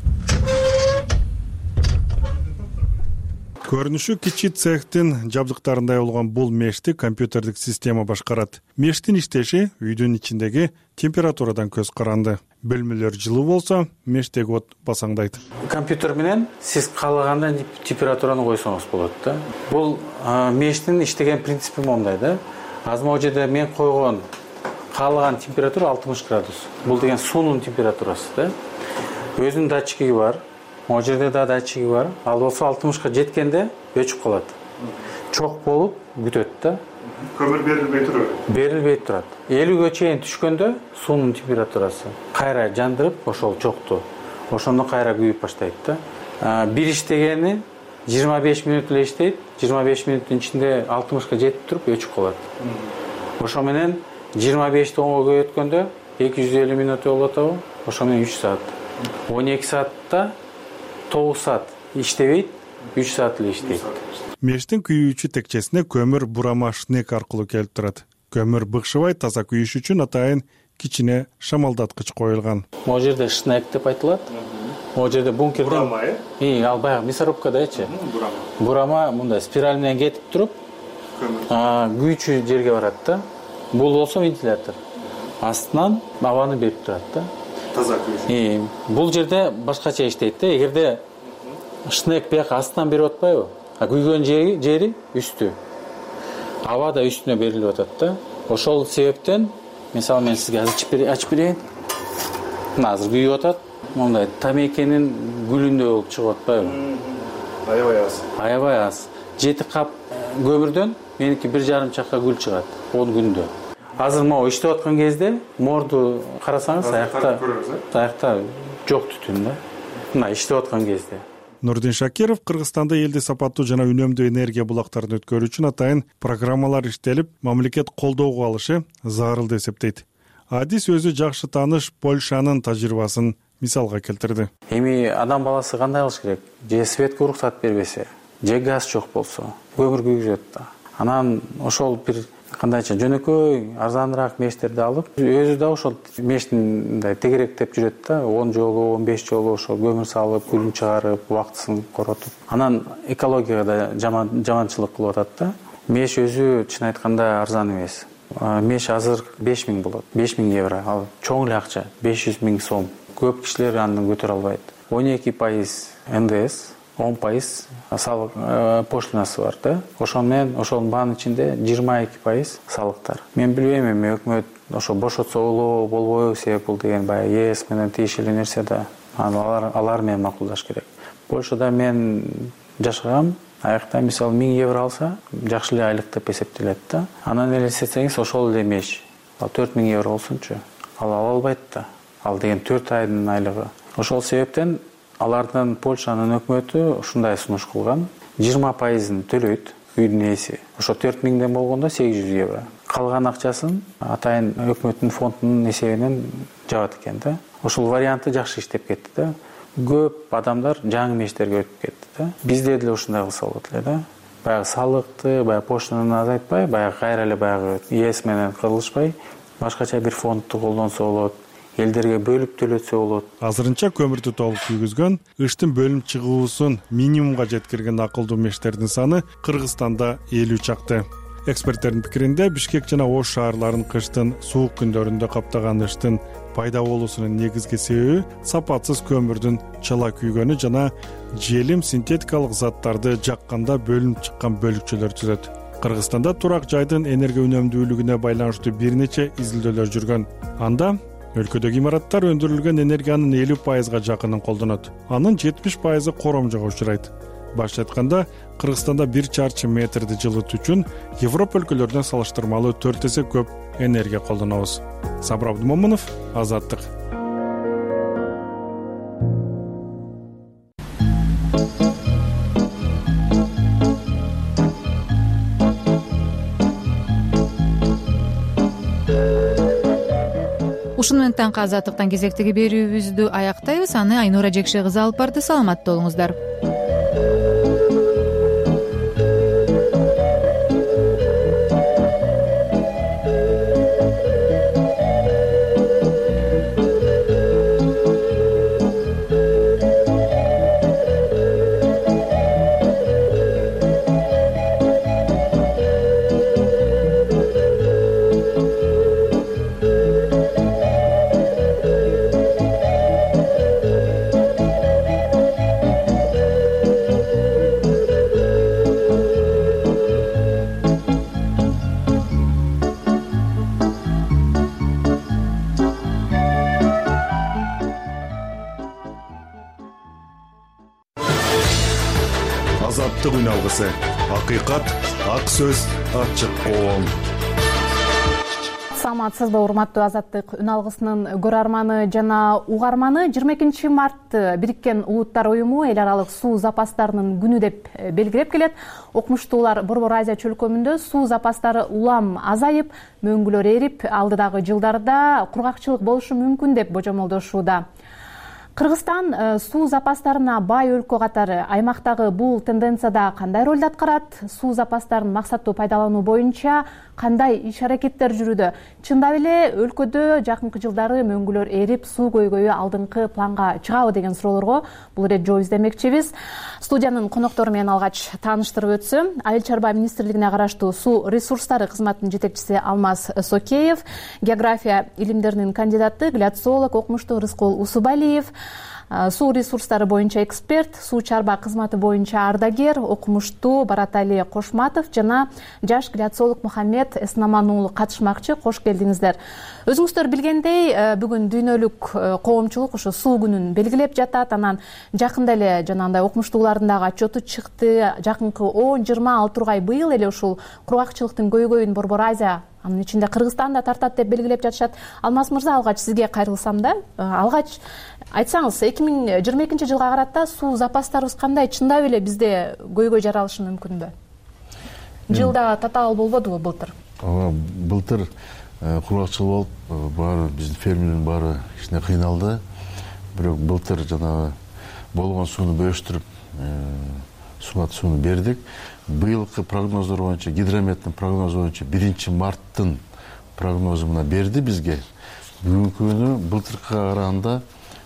Көрүнүшү кичи цехтин жабдыктарындай болгон бул мешти компьютердик система башкарат. Мештин иштеши үйдүн ичиндеги температурадан көз каранды. Бөлмөлөр жылуу болсо, мештеги от басаңдайт. Компьютер менен сиз каалагандай температураны койсоңуз болот да. Бул мештин иштеген принципи моундай да. Азыр могу жерде мен койгон каалаган температура 60 градус. Бул деген суунун температурасы да. Өзүнүн датчиги бар. Могу жерде да датчиги бар. Ал болсо 60ка жеткенде өчүп калат. Чок болуп күтөт да. Көмүр берилбей турат. Берилбей турат. 50ге чейин түшкөндө суунун температурасы кайра жандырып, ошол чокту. Ошондо кайра күйүп баштайт да. Бир иштегени 25 мүнөт эле иштейт. 25 мүнөттүн ичинде 60ка жетип туруп өчүп калат. Ошо менен 25 оңго көбөйткөндө 250 мүнөт болуп атабы? Ошо менен 3 саат. 12 саатта 9 саат иштебейт, 3 саат эле иштейт. Мештин күйүүчү текчесине көмүр бурама шнек аркылуу келип турат. Көмүр быкшыбай таза күйүш үчүн атайын кичине шамалдаткыч коюлган. Могу жерде шнек деп айтылат. Могу жерде бункерден бурама, ал баягы мясорубкадачы. Бурама мындай спираль менен кетип туруп, күйүүчү жерге барат да. Бул болсо вентилятор. Астынан абаны берип турат да. Таза күйүш. Бул жерде башкача иштейт да. Эгерде шнек бияка астынан берип атпайбы? Күйгөн жери үстү. Аба да үстүнө берилип атат да. Ошол себептен, мисалы мен сизге азыр ачып берейин. Мына азыр күйүп атат. Мындай тамекенин гүлүндөй болуп чыгып атпайбы? Аябай аз. Аябай аз. 7 кап көмүрдөн меники 1,5 чакка гүл чыгат 10 күндө. Азыр могу иштеп аткан кезде морду карасаңыз, аякта жок түтүн да. Мына иштеп аткан кезде. Нурдин Шакиров Кыргызстанда элди сапаттуу жана үнөмдүү энергия булактарын өткөрүү үчүн атайын программалар иштелип, мамлекет колдоого алышы зарыл деп эсептейт. Адис өзү жакшы тааныш Польшанын тажрыйбасын мисалга келтирди. Эми адам баласы кандай кылыш керек? Же светке уруксат бербесе, же газ жок болсо, көмүр күйгүзөт да. Анан ошол бир кандайча жөнөкөй арзаныраак мештерди алып, өзү да ошол мештин мындай тегеректеп жүрөт да, 10 жолу, 15 жолу ошол көмүр салып, күлүн чыгарып, убактысын коротуп. Анан экологияга да жаманчылык кылып атат да. Меш өзү чын айтканда арзан эмес. Меш азыр 5000 болот, 5000 евро. Ал чоң эле акча, 500 000 сом. Көп кишилер аны көтөрө албайт. 12% НДС, 10% салык пошлинасы бар да. Ошол менен ошонун баанын ичинде 22% салыктар. Мен билбейм эми өкмөт ошо бошотсо болбойбу, себеп бул деген баягы ЕС менен тиешелүү нерсе да. Алар менен макулдаш керек. Польшада мен жашагам. Аякта мисалы 1000 евро алса, жакшы эле айлык деп эсептелет да. Анан элестетсеңиз, ошол эле меш. Ал 4000 евро болсунчу. Ал ала албайт да. Ал деген 4 айдын айлыгы. Ошол себептен алардын Польшанын өкмөтү ушундай сунуш кылган. 20%-ын төлөйт үйдүн ээси. Ошо 4000ден болгондо 800 евро. Калган акчасын атайын өкмөттүн фондунун эсебинен жабат экен да. Ошол варианты жакшы иштеп кетти да. Көп адамдар жаңы мештерге өтүп кетти да. Бизде деле ушундай кылса болот эле да. Баягы салыкты, баягы поштаны азайтпай, баягы кайра эле баягы ЕС менен кырылышпай, башкача бир фондду колдонсо болот. Элдерге бөлүп төлөтсө болот. Азырынча көмүрдү толук күйгүзгөн, ыштын бөлүнүп чыгуусун минимумга жеткирген акылдуу мештердин саны Кыргызстанда 50 чакты. Эксперттердин пикиринде Бишкек жана Ош шаарларын кыштын суук күндөрүндө каптаган ыштын пайда болуусунун негизги себеби сапатсыз көмүрдүн чала күйгөнү жана желим синтетикалык заттарды жакканда бөлүнүп чыккан бөлүкчөлөр түзөт. Кыргызстанда турак жайдын энергия үнөмдүүлүгүнө байланыштуу бир нече изилдөөлөр жүргөн. Анда өлкөдөгү имараттар өндүрүлгөн энергиянын 50%га жакынын колдонот. Анын 70%-ы коромжого учурайт. Башкача айтканда, Кыргызстанда 1 чарчы метрди жылытуу үчүн Европа өлкөлөрүнө салыштырмалуу 4 эсе көп энергия колдонобуз. Сабыр Абдумомунов, Азаттык. Ушуну менен таңкы Азаттыктан кезектеги берүүбүздү аяктайбыз. Аны Айнура Жекше кызы алып барды. Саламатта болуңуздар. Азаттык үн алгысы. Акыйкат, ак сөз, ачык коом. Саламатсызбы, урматтуу Азаттык үн алгысынын көрөрманы жана угарманы. 22 март Бириккен Улуттар уюму эл аралык суу запастарынын күнү деп белгилеп келет. Окумуштуулар Борбор Азия чөлкөмүндө суу запастары улам азайып, мөңгүлөр эрип, алдыдагы жылдарда кургакчылык болушу мүмкүн деп божомолдошууда. Кыргызстан суу запастарына бай өлкө катары аймактагы бул тенденцияда кандай ролду аткарат? Суу запастарын максаттуу пайдалануу боюнча кандай иш-аракеттер жүрүүдө? Чындап эле өлкөдө жакынкы жылдары мөңгүлөр эрип, суу көйгөйү алдыңкы планга чыгабы деген суроолорго бул ирет жооп издемекчибиз. Студиянын коноктору менен алгач тааныштырып өтсөм, Айыл чарба министрлигине караштуу суу ресурстары кызматынын жетекчиси Алмаз Сокеев, география илимдеринин кандидаты, гляциолог, окумуштуу Рыскул Усубалиев, суу ресурстары боюнча эксперт, суу чарба кызматы боюнча ардагер, окумуштуу Баратали Кошматов жана жаш гляциолог Мухаммед Эснаман уулу катышмакчы. Кош келдиңиздер. Өзүңүздөр билгендей, бүгүн дүйнөлүк коомчулук ошо суу күнүн белгилеп жатат. Анан жакында эле жанагындай окумуштуулардын дагы отчету чыкты. Жакынкы 10-20 тургай быйыл эле ушул кургакчылыктын көйгөйүн Борбор Азия, анын ичинде Кыргызстан да тартат деп белгилеп жатышат. Алмаз мырза, алгач сизге кайрылсам да, алгач айтсаңыз, 2022 жылга карата суу запастарыбыз кандай? Чындап эле бизде көйгөй жаралышы мүмкүнбү? Жылда татаал болбодубу былтыр? Ооба, былтыр кургакчылык болуп, баары биздин фермерлердин баары кичине кыйналды. Бирок былтыр жанагы болгон сууну бөлүштүрүп, сууну бердик. Быйылкы прогноздор боюнча, гидрометтин прогнозу боюнча 1 марттын прогнозу мына берди бизге. Бүгүнкү күнү былтыркыга караганда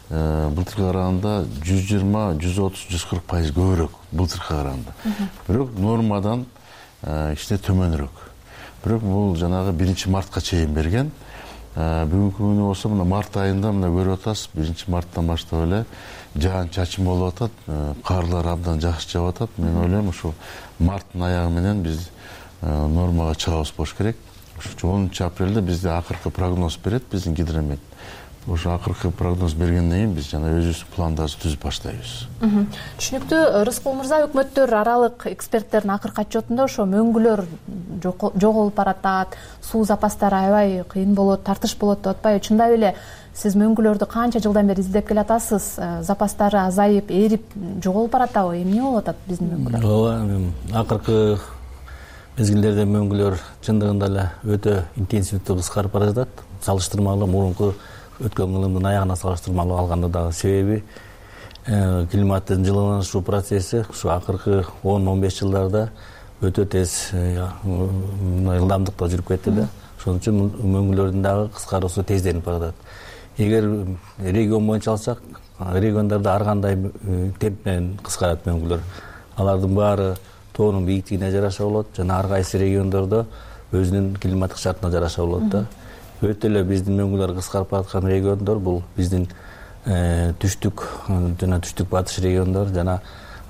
120, 130, 140% көбүрөөк былтыркыга караганда. Бирок нормадан кичине төмөнүрөөк. Бирок бул жанагы 1 мартка чейин берген. Бүгүнкү күнү болсо мына март айында мына көрүп атасыз, 1 марттан баштап эле жаан чачым болуп атат, карлар абдан жакшы жаап атат. Мен ойлойм ушул марттын аягы менен биз нормага чыгабыз болуш керек. Ошо 10 апрелде бизде акыркы прогноз берет биздин гидромет. Ошо акыркы прогноз бергенден кийин биз жана өзүбүздүн пландарды түзүп баштайбыз. Түшүнүктүү. Рыскул мырза, өкмөттөр аралык эксперттердин акыркы отчетунда ошо мөңгүлөр жоголуп баратат, суу запастары аябай кыйын болот, тартыш болот деп атпайбы? Чындап эле сиз мөңгүлөрдү канча жылдан бери издеп келатасыз? Запастары азайып, эрип, жоголуп баратабы? Эмне болуп атат биздин мөңгүлөр? Ооба, акыркы мезгилдерде мөңгүлөр чындыгында эле өтө интенсивдүү кыскарып бара жатат. Салыштырмалуу мурунку өткөн кылымдын аягына салыштырмалуу алганда дагы себеби климаттын жылынышуу процесси ушу акыркы 10-15 жылдарда өтө тез ылдамдыкта жүрүп кетти да. Ошон үчүн мөңгүлөрдүн дагы кыскаруусу тезденип баратат. Эгер регион боюнча алсак, региондордо ар кандай темп менен кыскарат мөңгүлөр. Алардын баары тоонун бийиктигине жараша болот жана ар кайсы региондордо өзүнүн климаттык шартына жараша болот да. Өтө эле биздин мөңгүлөр кыскарып бараткан региондор бул биздин түштүк жана түштүк батыш региондор жана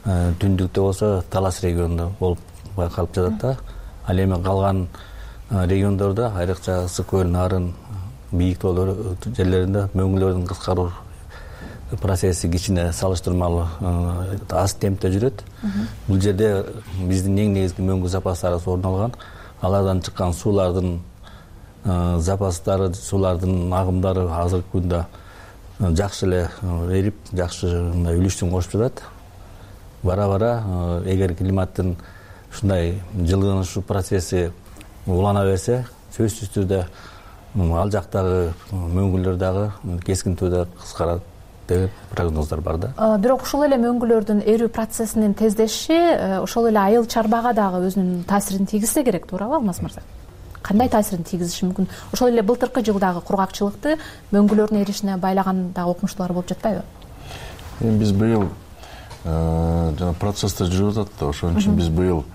түндүктө болсо Талас региону болуп байкалып жатат да. Ал эми калган региондордо, айрыкча Ысык көлүнүн арын бийик тоолор жерлеринде мөңгүлөрдүн кыскаруу процесси кичине салыштырмалуу аз темпте жүрөт. Бул жерде биздин эң негизги мөңгү запастарыбыз орун алган. Алардан чыккан суулардын запастары, суулардын агымдары азыркы күндө жакшы эле эрип, жакшы үлүшүн кошуп жатат. Бара-бара эгер климаттын ушундай жылынышуу процесси улана берсе, сөзсүз түрдө ал жактагы мөңгүлөр дагы кескин түрдө кыскарат деген прогноздор бар да. Бирок ушул эле мөңгүлөрдүн эрүү процессинин тездеши ошол эле айыл чарбага дагы өзүнүн таасирин тийгизсе керек, туурабы Алмаз мырза? Кандай таасирин тийгизиши мүмкүн? Ошол эле былтыркы жылдагы кургакчылыкты мөңгүлөрдүн эришине байлаган дагы окумуштуулар болуп жатпайбы? Биз быйыл жана процесстер жүрүп атат да, ошон үчүн биз быйыл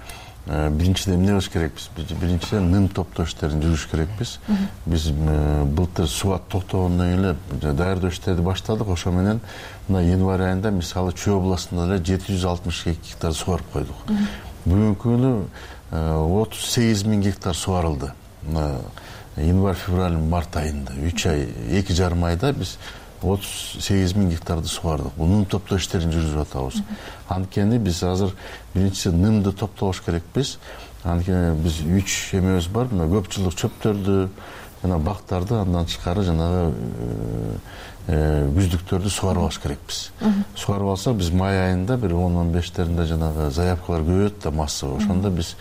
биринчиден эмне кылыш керекпиз? Биринчиден ным топтоо иштерин жүргүзүш керекпиз. Биз былтыр суга токтогондон кийин эле даярдоо иштерди баштадык. Ошо менен мына январь айында мисалы Чүй областында эле 762 гектар сугарып койдук. Бүгүнкү күнү 38 000 гектар сугарылды. Январь, февраль, март айында 3 ай, 2,5 айда биз 38.000 гектарды сугардык. Бул ным топтоо иштерин жүргүзүп атабыз. Анткени биз азыр биринчиси нымды топтош керекпиз. Анткени биз 3 эмебиз бар. Мына көп жылдык чөптөрдү, жана бактарды, андан тышкары жанагы күздүктөрдү сугарып алыш керекпиз. Сугарып алсак, биз май айында бир 10-15 жанагы заявкалар көбөйөт да массага. Ошондо биз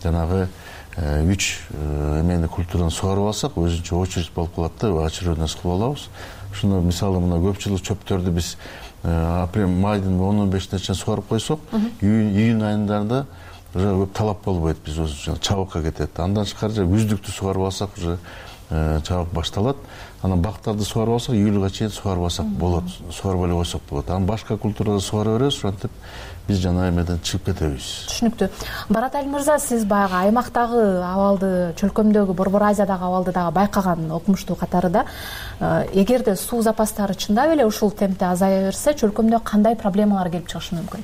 жанагы 3 эмени культураны сугарып алсак, өзүнчө очередь болуп калат да, очередность кылып алабыз. Ошондо мисалы мына көп жылдык чөптөрдү биз апрель майдын 10-15-ине чейин сугарып койсок, июнь айында уже көп талап болбойт, биз өзүнчө чабыкка кетет. Андан тышкары күздүктү сугарып алсак, уже чабык башталат. Анан бактарды сугарып алсак, июлга чейин сугарып алсак болот, сугарып эле койсок болот. Анан башка культураларды сугара беребиз, ошентип биз жана эмеден чыгып кетебиз. Түшүнүктүү. Баратали мырза, сиз баягы аймактагы абалды, чөлкөмдөгү, Борбор Азиядагы абалды дагы байкаган окумуштуу катарында, эгерде суу запастары чындап эле ушул темпте азая берсе, чөлкөмдө кандай проблемалар келип чыгышы мүмкүн?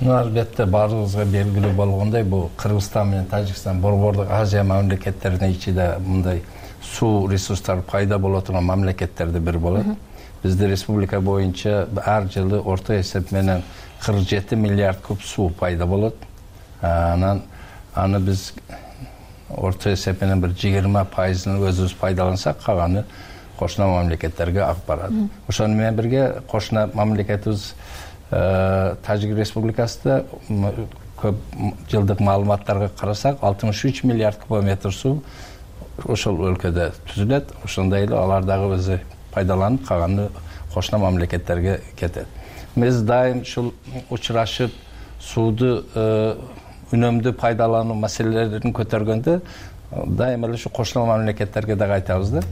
Албетте баарыбызга белгилүү болгондой, бул Кыргызстан менен Тажикстан Борбордук Азия мамлекеттеринин ичинде мындай суу ресурстары пайда боло турган мамлекеттердин бири болот. Бизде республика боюнча ар жылы орто эсеп менен 47 миллиард куб суу пайда болот. Аны биз орто эсеп менен бир 20%-ын өзүбүз пайдалансак, калганы кошуна мамлекеттерге агып барат. Ошону менен бирге кошуна мамлекетибиз Тажик Республикасында көп жылдык маалыматтарга карасак, 63 миллиард кубометр суу ошол өлкөдө түзүлөт. Ошондой эле алар дагы өзү пайдаланып, калганы кошуна мамлекеттерге кетет. Биз дайым ушул учурашып сууду үнөмдүү пайдалануу маселелерин көтөргөндө дайым эле ушу кошуна мамлекеттерге дагы айтабыз да.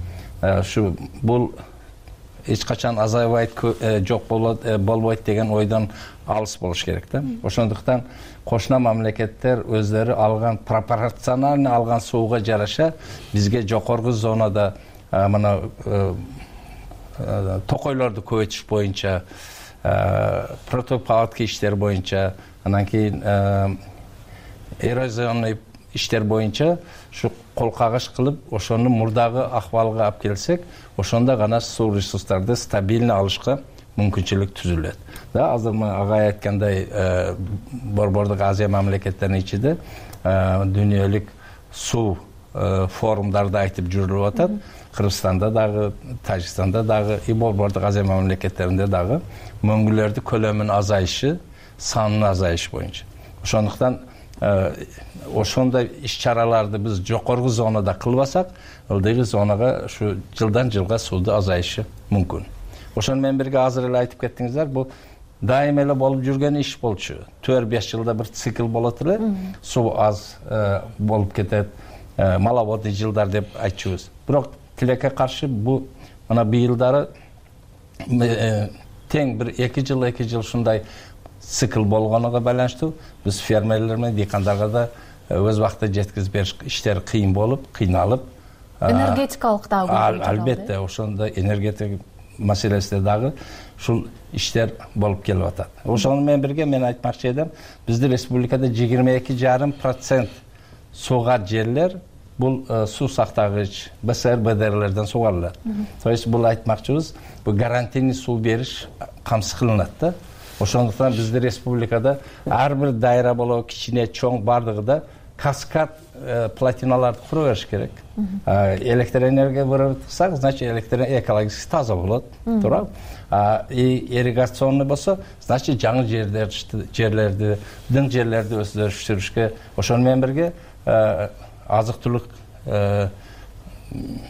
Ушу бул эч качан азайбайт, жок болбойт деген ойдон алыс болуш керек да. Ошондуктан кошуна мамлекеттер өздөрү алган пропорционально алган сууга жараша бизге жокорку зонада мына токойлорду көбөйтүш боюнча, протопаводка иштери боюнча, анан кийин эрозионный иштер боюнча ушу кол кагыш кылып, ошону мурдагы акыбалга алып келсек, ошондо гана суу ресурстарды стабильно алышка мүмкүнчүлүк түзүлөт. Да, азыр агай айткандай, Борбордук Азия мамлекеттеринин ичинде дүйнөлүк суу форумдарды айтып жүрүлүп атат. Кыргызстанда дагы, Тажикстанда дагы, Борбордук Азия мамлекеттеринде дагы мөңгүлөрдүн көлөмүнүн азайышы, санынын азайышы боюнча. Ошондуктан ошондой иш-чараларды биз жокорку зонада кылбасак, ылдыйкы зонага ушу жылдан жылга сууду азайышы мүмкүн. Ошону менен бирге азыр эле айтып кеттиңиздер, бул дайым эле болуп жүргөн иш болчу. 4-5 жылда бир цикл болот эле, суу аз болуп кетет, маловодный жылдар деп айтчубуз. Бирок тилекке каршы бул мына быйылдары тең бир 2 жыл ушундай цикл болгонуга байланыштуу биз фермерлер менен дыйкандарга да өз убакытта жеткизип бериш иштери кыйын болуп, кыйналып, энергетикалык дагы албетте ошондо энергетика маселесинде дагы ушул иштер болуп келип атат. Ошону менен бирге мен айтмакчы эдим, биздин республикада 22,5% сугат жерлер бул суу сактагыч БСР, БДРлерден сугарылат. То есть бул айтмакчыбыз, бул гарантийный суу бериш камсыз кылынат да. Ошондуктан биздин республикада ар бир дайра болобу, кичине, чоң бардыгы да каскад плотиналарды кура бериш керек. Электроэнергия вырабатсак, значит электр экологически таза болот, туурабы? Ирригационный болсо, значит жаңы жерлерди, дың жерлерди өсүрүшкө, ошону менен бирге азык-түлүк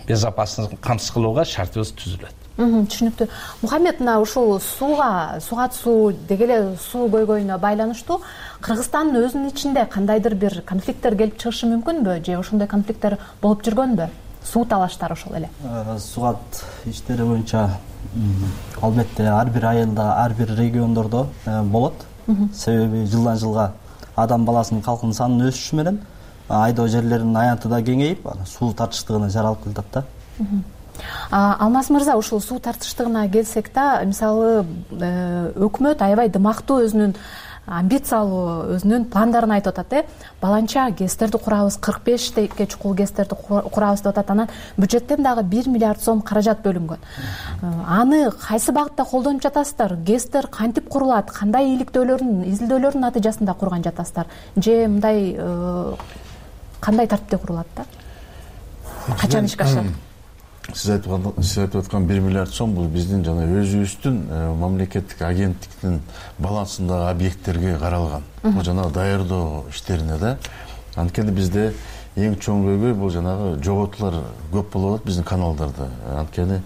безопасыздыгын камсыз кылууга шартыбыз түзүлөт. Түшүнүктүү. Мухаммед, мына ушул сугат суу деги эле суу көйгөйүнө байланыштуу Кыргызстандын өзүнүн ичинде кандайдыр бир конфликттер келип чыгышы мүмкүнбү же ошондой конфликттер болуп жүргөнбү? Суу талаштары ошол эле. Сугат иштери боюнча албетте ар бир айылда, ар бир региондордо болот. Себеби жылдан жылга адам баласынын калкынын санынын өсүшү менен айдоо жерлеринин аянты да кеңейип, суу тартыштыгына жаралып келатат да. Алмаз мырза, ушул суу тартыштыгына келсек да, мисалы өкмөт аябай дымактуу өзүнүн амбициялуу өзүнүн пландарын айтып атат. Баланча ГЭСтерди курабыз, 45 чукул ГЭСтерди курабыз деп атат. Анан бюджеттен дагы 1 миллиард сом каражат бөлүнгөн. Аны кайсы багытта колдонуп жатасыздар? ГЭСтер кантип курулат? Кандай изилдөөлөрдүн натыйжасында курган жатасыздар? Же мындай кандай тартипте курулат да? Качан ишке ашат? Сиз айтып аткан 1 миллиард сом бул биздин жана өзүбүздүн мамлекеттик агенттиктин балансындагы объекттерге каралган. Бул жана даярдоо иштерине да. Анткени бизде эң чоң көйгөй бул жанагы жоготуулар көп болуп атат биздин каналдарда. Анткени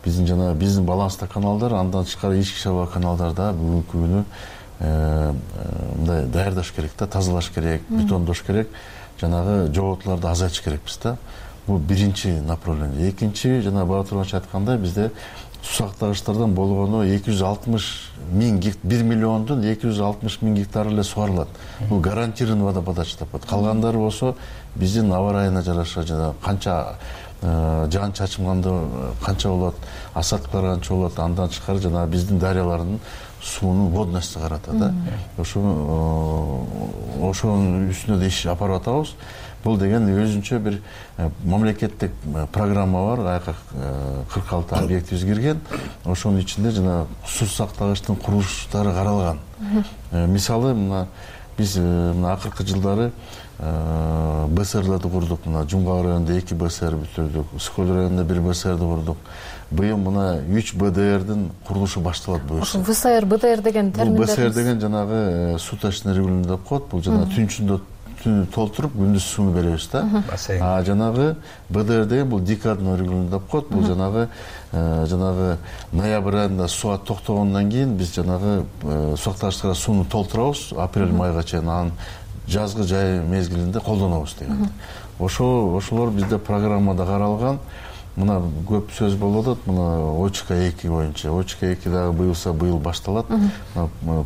биздин баланста каналдар, андан тышкары ички шаба каналдарда бүгүнкү күнү мындай даярдаш керек да, тазалаш керек, бетондош керек, жанагы жоготууларды азайтыш керекпиз да. Бул биринчи направление. Экинчи, жана Баатыр Оонович айткандай, бизде суу сактагычтардан болгону 260 миң гектар, 1 миллиондун 260 миң гектары эле сугарылат. Бул гарантированный водоподача деп атат. Калгандары болсо биздин аба ырайына жараша, жана канча жаан чачымганды канча болот, асадкалар канча болот, андан тышкары жана биздин дарыялардын суунун водносту карата да. Ошонун үстүнө да иш алып атабыз. Бул деген өзүнчө бир мамлекеттик программа бар, аяка 46 объектибиз кирген. Ошонун ичинде жана суу сактагычтын курулуштары каралган. Мисалы, биз акыркы жылдары БСРларды курдук. Жумгак районунда 2 БСР бүтүрдүк, Скөл районунда 1 БСРди курдук. Быйыл 3 БДРдин курулушу башталат буюрса. ВСР, БДР деген терминдер. БСР деген жанагы суточный регулирование деп коет. Бул жана түнчүндө толтуруп күндүз сууну беребиз да. Жанагы БДР деген бул декадный регулирование деп коет. Бул жанагы ноябрь айында суу токтогондон кийин биз жанагы сактагычтарга сууну толтурабыз, апрель майга чейин, анан жазгы жай мезгилинде колдонобуз деген. Ошолор бизде программада каралган. Мына көп сөз болуп атат, мына ОЧК 2 боюнча. ОЧК 2 дагы быйыл башталат.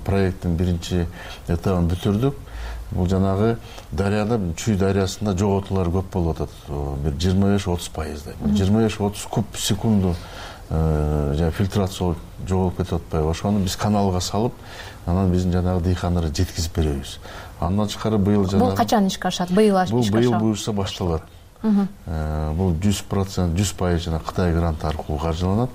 Проекттин биринчи этабын бүтүрдүк. Бул жанагы дарыяда, Чүй дарыясында жоготуулар көп болуп атат. Бир 25-30%. 25-30 куб секунду фильтрация жоголуп кетип атпайбы? Ошону биз каналга салып, анан биздин жанагы дыйкандарга жеткизип беребиз. Андан тышкары быйыл жанагы бул качан ишке ашат? Быйыл ишке ашат. Быйыл буюрса башталат. Бул 100%, 100% жана Кытай гранты аркылуу каржыланат.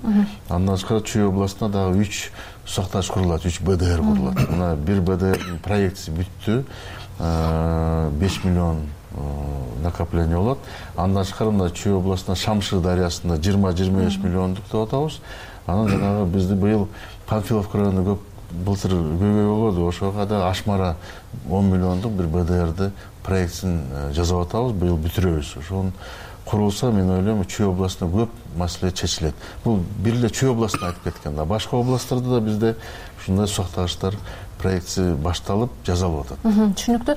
Андан тышкары Чүй областында дагы 3 сактагыч курулат, 3 БДР курулат. Мына 1 БДРдин проектиси бүттү. 5 миллион накопление болот. Андан тышкары мына Чүй областында Шамшыр дарыясында 20-25 миллиондук деп атабыз. Анан жанагы бизди быйыл Панфиловка районунда көп былтыр көйгөй болду. Ошого да Ашмара 10 миллиондук бир БДРди проектин жасап атабыз. Быйыл бүтүрөбүз. Ошонун курулса, мен ойлойм, Чүй областында көп маселе чечилет. Бул бир эле Чүй областына айтып кеткен да. Башка областтарда да бизде ушундай сактагычтар проекти башталып, жасалып атат. Түшүнүктүү.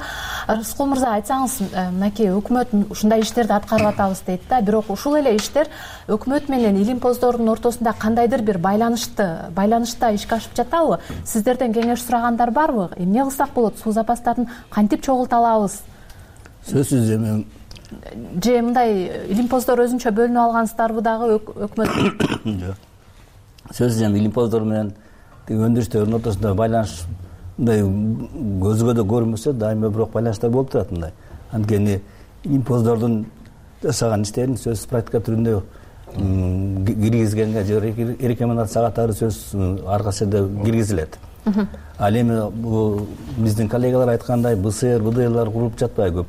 Рыскул мырза, айтсаңыз, мынакей өкмөт ушундай иштерди аткарып атабыз дейт да, бирок ушул эле иштер өкмөт менен илимпоздордун ортосунда кандайдыр бир байланышта ишке ашып жатабы? Сиздерден кеңеш сурагандар барбы? Эмне кылсак болот? Суу запастарын кантип чогулта алабыз? Сөзсүз эми же мындай илимпоздор өзүнчө бөлүнүп алгансыздарбы дагы өкмөт? Сөзсүз эми илимпоздор менен өндүрүштөрдүн ортосунда байланыш мындай көзгө да көрүнбөсө дайыма бирок байланыштар болуп турат мындай. Анткени илимпоздордун жасаган иштерин сөзсүз практика түрүндө киргизгенге же рекомендация катары сөзсүз ар кайсы жерде киргизилет. Ал эми бул биздин коллегалар айткандай БСР, БДРлар куруп жатпайбы көп.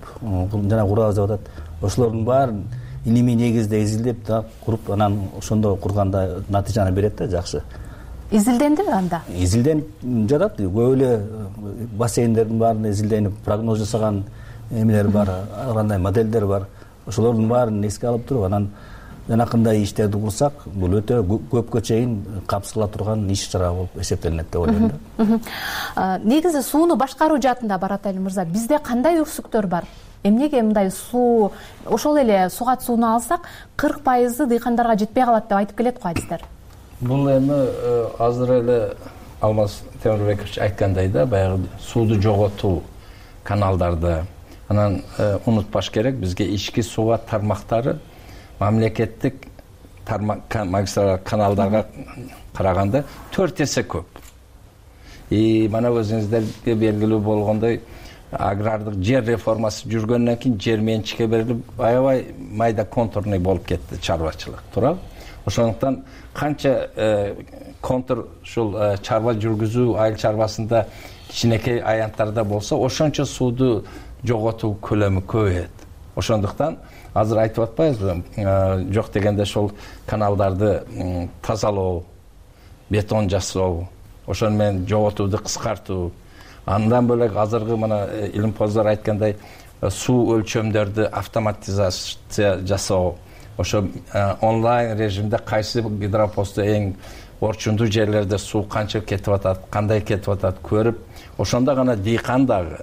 Жана курабыз деп атат. Ошолордун баарын илимий негизде изилдеп да куруп, анан ошондо курганда натыйжаны берет да, жакшы. Изилдендиби анда? Изилденип жатат. Көп эле бассейндердин баарын изилденип, прогноз жасаган эмелер бар, кандай моделдер бар. Ошолордун баарын эске алып туруп, анан жанакындай иштерди курсак, бул өтө көпкө чейин камсыз кыла турган иш чара болуп эсептелинет деп ойлойм да. Негизи сууну башкаруу жаатында Баратали мырза, бизде кандай үрсүктөр бар? Эмнеге мындай суу, ошол эле сугат сууну алсак, 40% дыйкандарга жетпей калат деп айтып келет го адистер. Бул эми азыр эле Алмаз Темирбекович айткандай да, баягы сууду жоготуу каналдарды, анан унутпаш керек, бизге ички сугат тармактары мамлекеттик магистралдык каналдарга караганда 4 эсе көп. Мана өзүңүздөргө белгилүү болгондой агрардык жер реформасы жүргөндөн кийин жер менчикке берилип аябай майда контурный болуп кетти чарбачылык, туурабы? Ошондуктан канча контур ушул чарба жүргүзүү айыл чарбасында кичинекей аянттарда болсо, ошончо сууду жоготуу көлөмү көбөйөт. Ошондуктан азыр айтып атпайбызбы, жок дегенде ошол каналдарды тазалоо, бетон жасоо, ошону менен жоготууду кыскартуу. Андан бөлөк азыркы мына илимпоздор айткандай суу өлчөмдөрдү автоматизация жасоо, ошо онлайн режимде кайсы гидропосту эң орчундуу жерлерде суу канча кетип атат, кандай кетип атат көрүп, ошондо гана дыйкан дагы,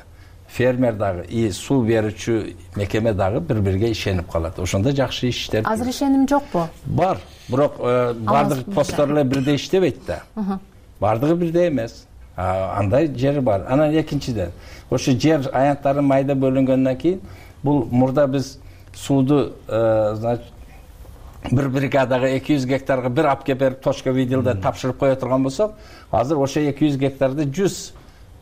фермер дагы, суу берүүчү мекеме дагы бири-бириге ишенип калат. Ошондо жакшы иштер. Азыр ишеним жокпу? Бар, бирок баардык посттор эле бирдей иштебейт да. Баардыгы бирдей эмес. Андай жери бар. Анан экинчиден, ошо жер аянттары майда бөлүнгөндөн кийин, бул мурда биз сууду, bir бригадага 200 гектарга бир алып келип берип точка видеода тапшырып кое турган болсок, азыр ошо 200 гектарда 100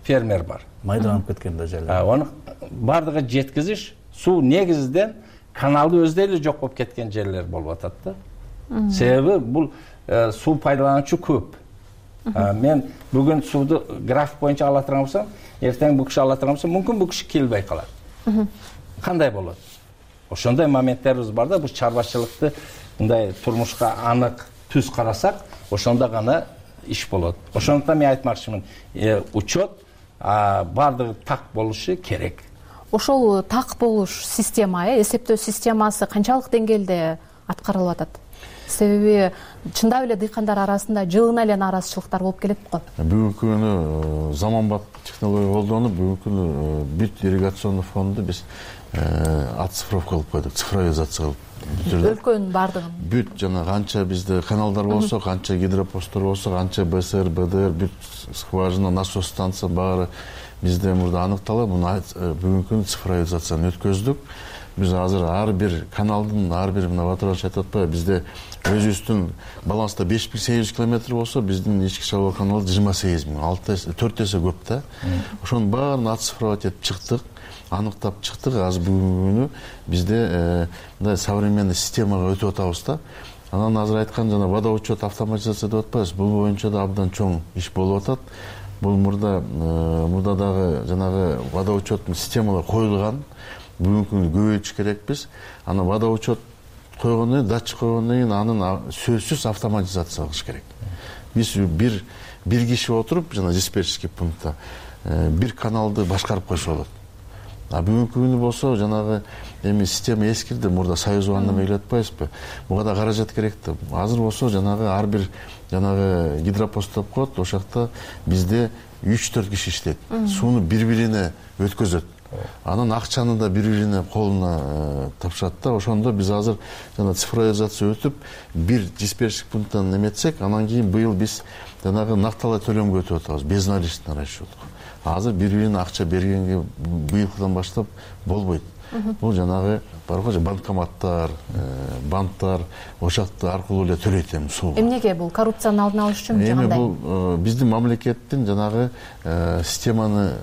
фермер бар. Майдаланып кеткен да жерлер. Аны бардыгы жеткизиш, суу негизинен каналды өздөй эле жок болуп кеткен жерлер болуп атат да. Себеби бул суу пайдалануучу көп. Мен бүгүн сууду график боюнча ала турган болсом, эртең бул киши ала турган болсо, мүмкүн бул киши келбей калат. Кандай болот? Ошондой моменттерибиз бар да, бул чарбачылыкты мындай турмушка анык түз карасак, ошондо гана иш болот. Ошондуктан мен айтмакчымын, учет бардыгы так болушу керек. Ошол так болуш система, эсептөө системасы канчалык деңгээлде аткарылып атат? Себеби чындап эле дыйкандар арасында жылына эле нааразычылыктар болуп келет го. Бүгүнкү күнү заманбап технология колдонуп, бүгүнкү күнү бүт ирригационный фонду биз оцифровка кылып койдук, цифровизация кылып. Өлкөнүн бардыгын. Бүт жана канча бизде каналдар болсо, канча гидропосттор болсо, канча БСР, БДР, бүт скважина, насос станция баары бизде мурда аныкталып, муну бүгүнкү күнү цифровизацияны өткөздүк. Биз азыр ар бир каналдын, ар бир мына Батырович айтып атпайбы, бизде өзүбүздүн баланста 5800 километр болсо, биздин ички чалуу каналы 28000, 4 эсе көп да. Ошонун баарын оцифровать этип чыктык, аныктап чыктык. Азыр бүгүнкү күнү бизде мындай современный системага өтүп атабыз да. Анан азыр айткан жана водоучет автоматизация деп атпайбыз, бул боюнча да абдан чоң иш болуп атат. Бул мурда дагы жанагы водоучеттун системалар коюлган. Бүгүнкү күнү көбөйтүш керекпиз. Анан водоучет койгондон кийин, датчик койгондон кийин анын сөзсүз автоматизация кылыш керек. Биз бир киши отуруп, жана диспетчерский пунктта бир каналды башкарып койсо болот. Бүгүнкү күнү болсо жанагы эми система эскирди, мурда союзованный эмеге атпайбызбы? Буга да каражат керек да. Азыр болсо жанагы ар бир жанагы гидропост деп коет, ошол жакта бизде 3-4 киши иштейт. Сууну бири-бирине өткөзөт. Анан акчаны да бири-бирине колуна тапшырат да. Ошондо биз азыр жана цифровизация өтүп, бир диспетчерский пункттан эметсек, анан кийин быйыл биз жанагы накталай төлөмгө өтүп атабыз, безналичный расчет. Азыр бири-бирине акча бергенге быйылкыдан баштап болбойт. Бул жанагы бар го, банкоматтар, банктар ошакты аркылуу эле төлөйт эми сууга. Эмнеге бул коррупцияны алдын алыш үчүн же кандай? Эми бул биздин мамлекеттин жанагы системаны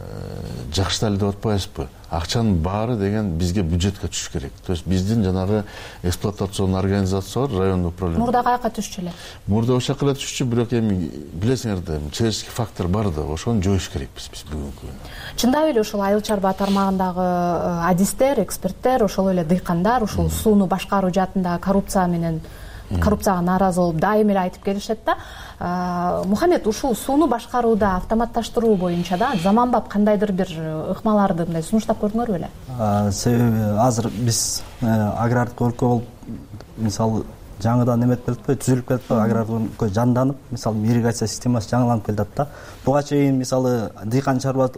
жакшытайлы деп атпайбызбы? Акчанын баары деген бизге бюджетке түшүш керек. То есть биздин жанагы эксплуатационный организация бар, райондук управление. Мурда каяка түшчү эле? Мурда ошол эле түшчү, бирок эми билесиңер да, человеческий фактор бар да, ошону жоюш керекпиз биз бүгүнкү күнү. Чындап эле ушул айыл чарба тармагындагы адистер, эксперттер, ошол эле дыйкандар ушул сууну башкаруу жаатында коррупцияга нааразы болуп дайыма эле айтып келишет да. Мухаммед, ушул сууну башкарууда автоматташтыруу боюнча да заманбап кандайдыр бир ыкмаларды мындай сунуштап көрдүңөрбү беле? Себеби азыр биз агрардык өлкө болуп, мисалы жаңыдан эметип келатпайбы, түзүлүп келатпайбы, агрардык өлкө жанданып, мисалы ирригация системасы жаңыланып келатат да. Буга чейин мисалы дыйкан чарба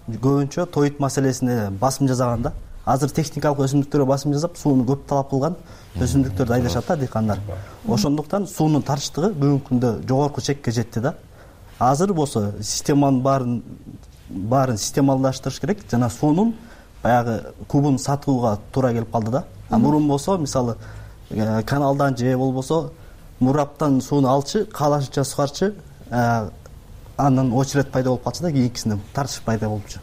көбүнчө тоют маселесине басым жасаган да. Азыр техникалык өсүмдүктөргө басым жасап, сууну көп талап кылган өсүмдүктөрдү айдашат да дыйкандар. Ошондуктан суунун тарыштыгы бүгүнкү күндө жогорку чекке жетти да. Азыр болсо системанын баарын системалдаштырыш керек, жана суунун баягы кубун сатууга туура келип калды да. Мурун болсо мисалы каналдан же болбосо мураптан сууну алчы, каалашынча сугарчы, андан очередь пайда болуп калчу да кийинкисинде тартыш пайда болупчу.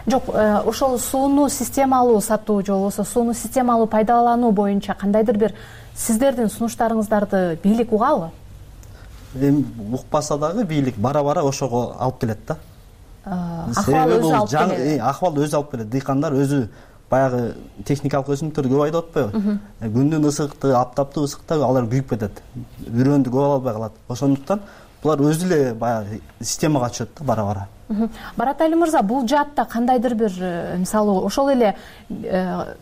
Жок, ошол сууну системалуу сатуу же болбосо сууну системалуу пайдалануу боюнча кандайдыр бир сиздердин сунуштарыңыздарды бийлик угабы? Эми укпаса дагы бийлик бара ошого алып келет да. Акыбал өзү алып келет. Акыбал өзү алып келет. Дыйкандар өзү баягы техникалык өсүмдүктөрдү көп айдап атпайбы? Күндүн ысыкты, аптаптуу ысыкта алар күйүп кетет. Үрөндү көп ала албай калат. Ошондуктан булар өзү эле баягы системага түшөт да бара. Баратали мырза, бул жаатта кандайдыр бир мисалы ошол эле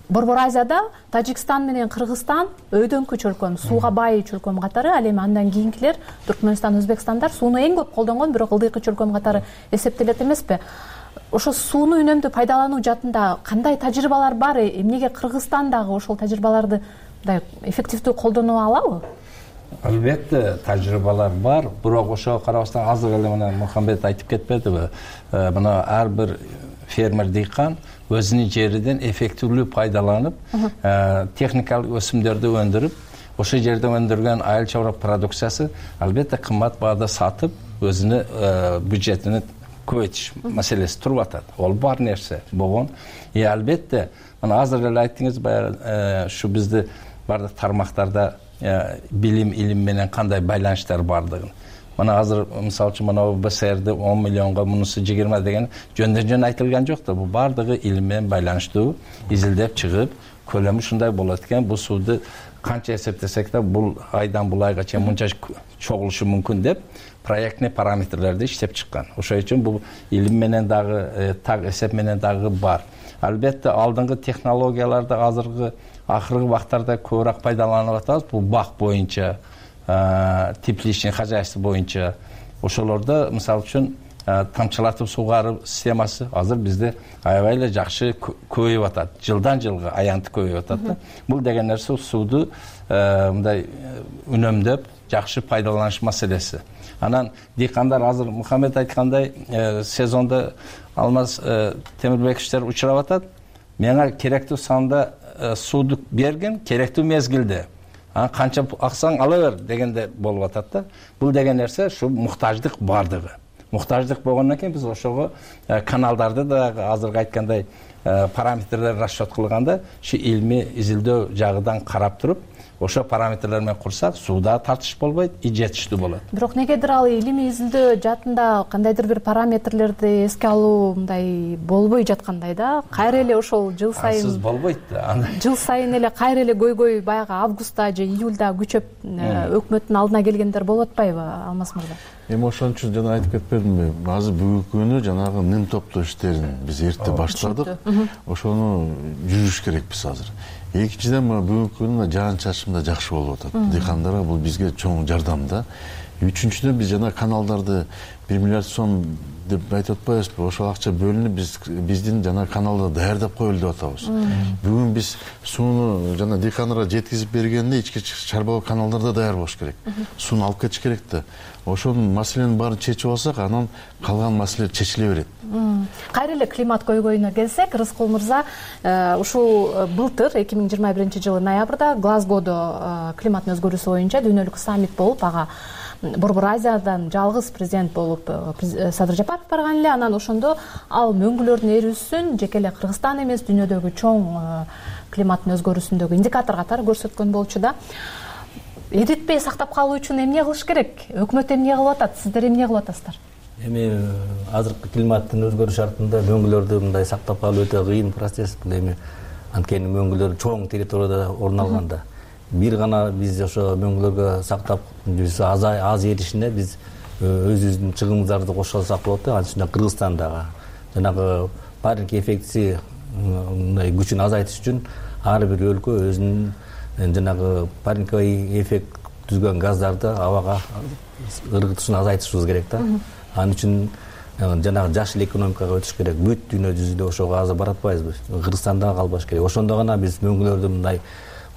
Борбор Азияда Тажикстан менен Кыргызстан өйдөңкү чөлкөм, сууга бай чөлкөм катары, ал эми андан кийинкилер Түркмөнстан, Өзбекстандар сууну эң көп колдонгон, бирок ылдыйкы чөлкөм катары эсептелет эмеспи? Ошо сууну үнөмдүү пайдалануу жаатында кандай тажрыйбалар бар? Эмнеге Кыргызстан дагы ошол тажрыйбаларды мындай эффективдүү колдоно алабы? Албетте тажрыйбалар бар, бирок ошого карабастан азыр эле мына Мухаммед айтып кетпедиби? Мына ар бир фермер дыйкан өзүнүн жеринен эффективдүү пайдаланып, техникалык өсүмдөрдү өндүрүп, ошол жерде өндүргөн айыл чарба продукциясы албетте кымбат баада сатып, өзүнүн бюджетин көбөйтүш маселеси туруп атат. Ол бар нерсе болгон. Албетте, мына азыр эле айттыңыз, баягы ушу бизди бардык тармактарда билим, илим менен кандай байланыштар бардыгын. Мына азыр мисалы үчүн мына БСРде 10 миллионго мунусу 20 деген жөндөн айтылган жок да. Бул бардыгы илим менен байланыштуу, изилдеп чыгып, көлөмү ушундай болот экен. Бул сууду канча эсептесек да бул айдан бул айга чейин мынча чогулушу мүмкүн деп проектный параметрлерди иштеп чыккан. Ошол үчүн бул илим менен дагы, так эсеп менен дагы бар. Албетте алдыңкы технологияларды азыркы акыркы убактарда көбүрөөк пайдаланып атабыз. Бул бак боюнча, тепличный хозяйство боюнча. Ошолордо мисалы үчүн тамчылатып суугаруу системасы азыр бизде аябай эле жакшы көбөйүп атат. Жылдан жылга аянты көбөйүп атат да. Бул деген нерсе сууду мындай үнөмдөп жакшы пайдаланыш маселеси. Анан дыйкандар азыр Мухаммед айткандай сезондо алмаз темирбековичтер учурап атат. Мага керектүү санда сууду бергин, керектүү мезгилде. Канча аксаң ала бер дегенде болуп атат да. Бул деген нерсе ушу муктаждык бардыгы. Муктаждык болгондон кийин биз ошого каналдарды да азыркы айткандай параметрлер расчет кылганда ушу илмий изилдөө жагынан карап туруп, ошо параметрлер менен курсак, сууда тартыш болбойт, жетиштүү болот. Бирок негедир ал илимий изилдөө жаатында кандайдыр бир параметрлерди эске алуу мындай болбой жаткандай да. Кайра эле ошол жыл сайын Сыз болбойт да. Жыл сайын эле кайра эле көйгөй баягы августта же июлда күчөп өкмөттүн алдына келгендер болуп атпайбы, Алмаз мырза? Эми ошон үчүн жана айтып кетпедимби? Азыр бүгүнкү күнү жанагы ним топтоо иштерин биз эрте баштадык. Ошону жүрүш керекпиз азыр. Экинчиден бүгүнкү күнү жаан-чачын да жакшы болуп атат. Дыйкандарга бул бизге чоң жардам да. Үчүнчүдөн биз жана каналдарды 1 миллиард сом деп айтып атпайбызбы? Ошол акча бөлүнүп биздин жана каналды даярдап коелу деп атабыз. Бүгүн биз сууну жана дыйкандарга жеткизип бергенде ички чарбалоо каналдарда даяр болуш керек. Сууну алып кетиш керек да. Ошонун маселенин баарын чечип алсак, анан калган маселе чечиле берет. Кайра эле климат көйгөйүнө келсек, Рыскул мырза, ушул былтыр 2021-жылы ноябрда Глазгодо климаттын өзгөрүүсү боюнча дүйнөлүк саммит болуп, ага Борбор Азиядан жалгыз президент болуп Садыр Жапаров барган эле. Анан ошондо ал мөңгүлөрдүн эрүүсүн жеке эле Кыргызстан эмес, дүйнөдөгү чоң климаттын өзгөрүүсүндөгү индикатор катары көрсөткөн болчу да. Эритпей сактап калуу үчүн эмне кылыш керек? Өкмөт эмне кылып атат? Сиздер эмне кылып атасыздар? Эми азыркы климаттын өзгөрүү шартында мөңгүлөрдү мындай сактап калуу өтө кыйын процесс. Бул эми анткени мөңгүлөр чоң территорияда орун алганда. Бир гана биз ошо мөңгүлөргө сактап биз аз эришине биз өзүбүздүн чыгымыбыздарды кошо алсак болот да. Анын үстүнө Кыргызстандагы жанагы парник эффектиси мындай күчүн азайтыш үчүн ар бир өлкө өзүнүн жанагы парниковый эффект түзгөн газдарды абага ыргытышын азайтышыбыз керек да. Анын үчүн жанагы жашыл экономикага өтүш керек. Бүт дүйнө жүзүндө ошого азыр баратпайбызбы? Кыргызстанда калбаш керек. Ошондо гана биз мөңгүлөрдүн мындай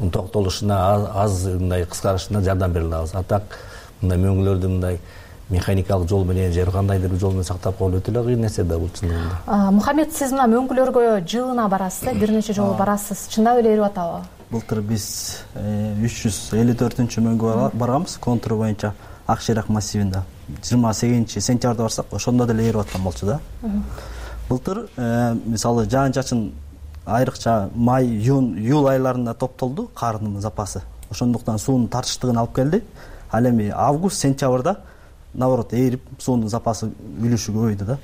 токтолушуна, аз мындай кыскарышына жардам бере алабыз. Атак мындай мөңгүлөрдү мындай механикалык жол менен же кандайдыр бир жол менен сактап калуу өтө эле кыйын нерсе да бул чындыгында. Мухаммед, сиз мына мөңгүлөргө жылына барасыз, бир нече жолу барасыз. Чындап эле эрип атабы? Былтыр биз 354-мөңгүгө барганбыз контур боюнча Ак Шайрак массивинде. 28 сентябрда барсак ошондо деле ээрип аткан болчу да. Былтыр мисалы жаан чачын айрыкча май, июль айларында топтолду кардын запасы. Ошондуктан суунун тартыштыгын алып келди. Ал эми август, сентябрда наоборот ээрип суунун запасы үлүшү көбөйдү да.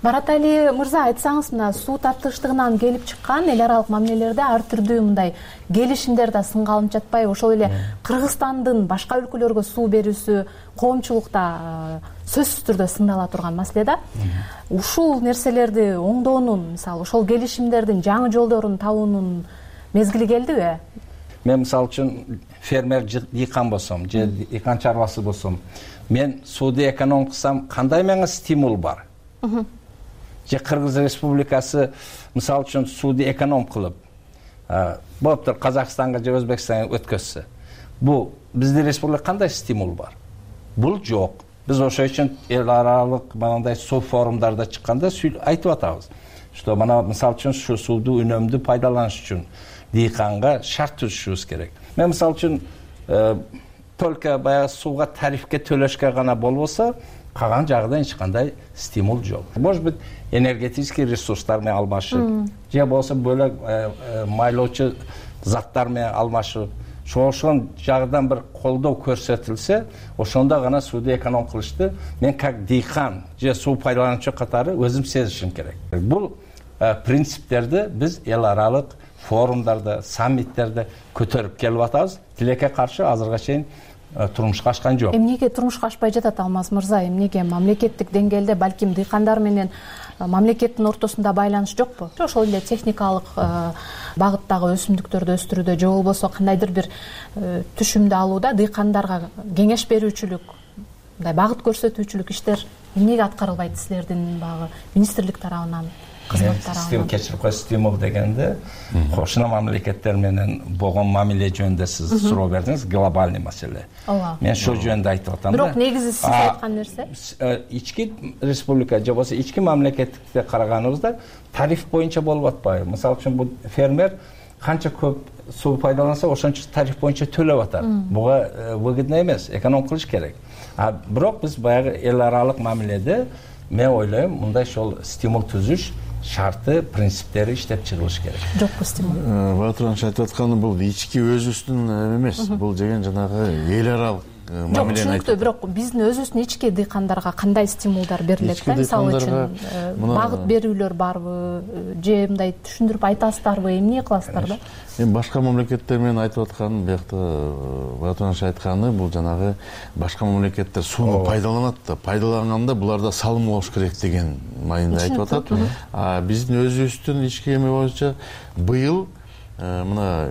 Маратали мырза, айтсаңыз, мына суу тартыштыгынан келип чыккан эл аралык мамилелерде ар түрдүү мындай келишимдер да сынга алынып жатпайбы? Ошол эле Кыргызстандын башка өлкөлөргө суу берүүсү коомчулукта сөзсүз түрдө сындала турган маселе да. Ушул нерселерди оңдоонун, мисалы, ошол келишимдердин жаңы жолдорун табуунун мезгили келдиби? Мен мисалы үчүн фермер дыйкан болсом, же дыйкан чарбасы болсом, мен сууду эконом кылсам кандай мага стимул бар? Же Кыргыз Республикасы мисалы үчүн сууду эконом кылып, болуптур Казакстанга же Өзбекстанга өткөзсө, бул биздин республика кандай стимул бар? Бул жок. Биз ошол үчүн эл аралык мындай суу форумдарда чыкканда айтып атабыз, что мына мисалы үчүн ушу сууду үнөмдүү пайдаланыш үчүн дыйканга шарт түзүшүбүз керек. Мен мисалы үчүн только баягы сууга тарифке төлөшкө гана болбосо, калган жагында эч кандай стимул жок. Может быть, энергетический ресурстар менен алмашып, же болсо бөлөк майлоочу заттар менен алмашып, ошол жагынан бир колдоо көрсөтүлсө, ошондо гана сууду эконом кылышты мен как дыйкан же суу пайдалануучу катары өзүм сезишим керек. Бул принциптерди биз эл аралык форумдарда, саммиттерде көтөрүп келип атабыз. Тилекке каршы азырга чейин турмушка ашкан жок. Эмнеге турмушка ашпай жатат Алмаз мырза? Эмнеге мамлекеттик деңгээлде балким дыйкандар менен мамлекеттин ортосунда байланыш жокпу? Ошол эле техникалык багыттагы өсүмдүктөрдү өстүрүүдө же болбосо кандайдыр бир түшүмдү алууда дыйкандарга кеңеш берүүчүлүк, мындай багыт көрсөтүүчүлүк иштер эмнеге аткарылбайт силердин багы министрлик тарабынан? Кечирип коюш стимул дегенде кошуна мамлекеттер менен болгон мамиле жөнүндө сиз суроо бердиңиз, глобальный маселе. Мен ошол жөнүндө айтып атам да. Бирок негизи сиз айткан нерсе ички республика же болбосо ички мамлекеттикте караганыбызда тариф боюнча болуп атпайбы? Мисалы үчүн бул фермер канча көп суу пайдаланса, ошончо тариф боюнча төлөп атат. Буга выгодно эмес, эконом кылыш керек. Бирок биз баягы эл аралык мамиледе мен ойлойм, мындай ошол стимул түзүш шарты, принциптери иштеп чыгылыш керек. Жокпу стимул. Батыранч айтып атканы бул ички өзүбүздүн эмес, бул деген жанагы эл аралык мамилени айтып. Жок, бирок биздин өзүбүздүн ички дыйкандарга кандай стимулдар берилет да? Мисалы үчүн багыт берүүлөр барбы, же мындай түшүндүрүп айтасыздарбы, эмне кыласыздар да? Эми башка мамлекеттер менен айтып атканым, биякта Батыранч айтканы, бул жанагы башка мамлекеттер сууну пайдаланат да, пайдаланганда буларда салым болуш керек деген майында айтып атат. Биздин өзүбүздүн ички эме боюнча быйыл мына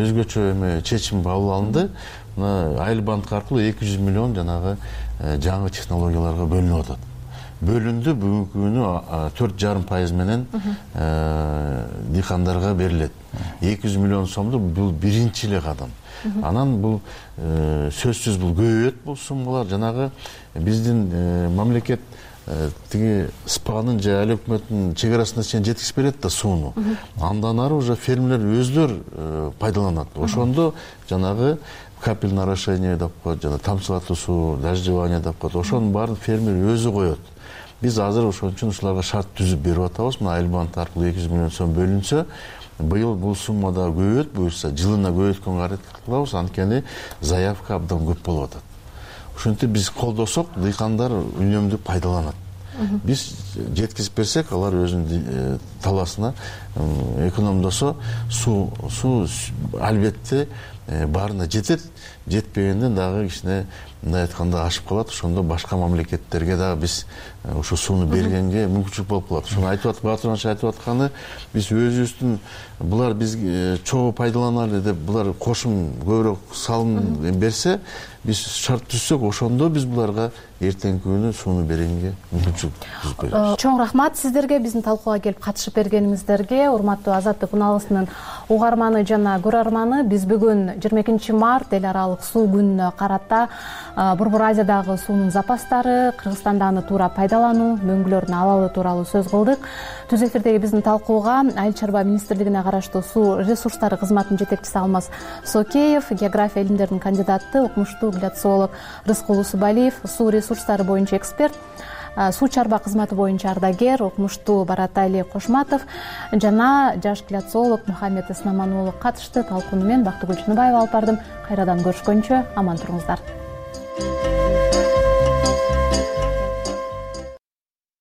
өзгөчө эме чечим кабыл алынды. Мына Айлбанк аркылуу 200 миллион жанагы жаңы технологияларга бөлүнүп атат. Бөлүндү, бүгүнкү күнү 4,5% менен дыйкандарга берилет. 200 миллион сомду бул биринчи эле кадам. Анан бул сөзсүз бул көбөйөт, бул суммалар. Жанагы биздин мамлекет тиги СПАнын же эл өкмөттүн чек арасына чейин жеткизип берет да сууну. Андан ары уже фермерлер өзлөр пайдаланат. Ошондо жанагы капельное орошение деп коет, жана тамчылатуу суу, дождевание деп коет. Ошонун баарын фермер өзү коет. Биз азыр ошон үчүн ушуларга шарт түзүп берип атабыз. Мына Айлбанк аркылуу 200 миллион сом бөлүнсө, быйыл бул сумма да көбөйөт, буюрса жылына көбөйткөнгө аракет кылабыз, анткени заявка абдан көп болуп атат. Ошентип биз колдосок, дыйкандар үнөмдү пайдаланат. Биз жеткизип берсек, алар өзүнүн талаасына экономдосо, суу албетте баарына жетет. Жетпегенде дагы кичине мындай айтканда ашып калат. Ошондо башка мамлекеттерге дагы биз ошо сууну бергенге мүмкүнчүлүк болуп калат. Ошону айтып аткан Батыранч айтып атканы, биз өзүбүздүн булар биз чогуу пайдаланалы деп булар кошум көбүрөөк салым берсе, биз шарт түзсөк, ошондо биз буларга эртеңки күнү сууну бергенге мүмкүнчүлүк түзүп беребиз. Чоң рахмат сиздерге, биздин талкууга келип катышып бергениңиздерге. Урматтуу Азаттык уналгысынын угарманы жана көрөрманы, биз бүгүн 22 март эл аралык суу күнүнө карата Борбор Азиядагы суунун запастары, Кыргызстанда аны туура пайдалануу, мөңгүлөрдүн абалы тууралуу сөз кылдык. Түз эфирдеги биздин талкууга Айыл чарба министрлигине караштуу суу ресурстары кызматынын жетекчиси Алмаз Сокеев, география илимдеринин кандидаты, окумуштуу гляциолог Рыскул Усубалиев, суу ресурстары боюнча эксперт, суу чарба кызматы боюнча ардагер, окумуштуу Баратали Кошматов жана жаш гляциолог Мухаммед Эснаман уулу катышты. Талкууну мен Бактыгүл Чыныбаева алып бардым. Кайрадан көрүшкөнчө аман туруңуздар.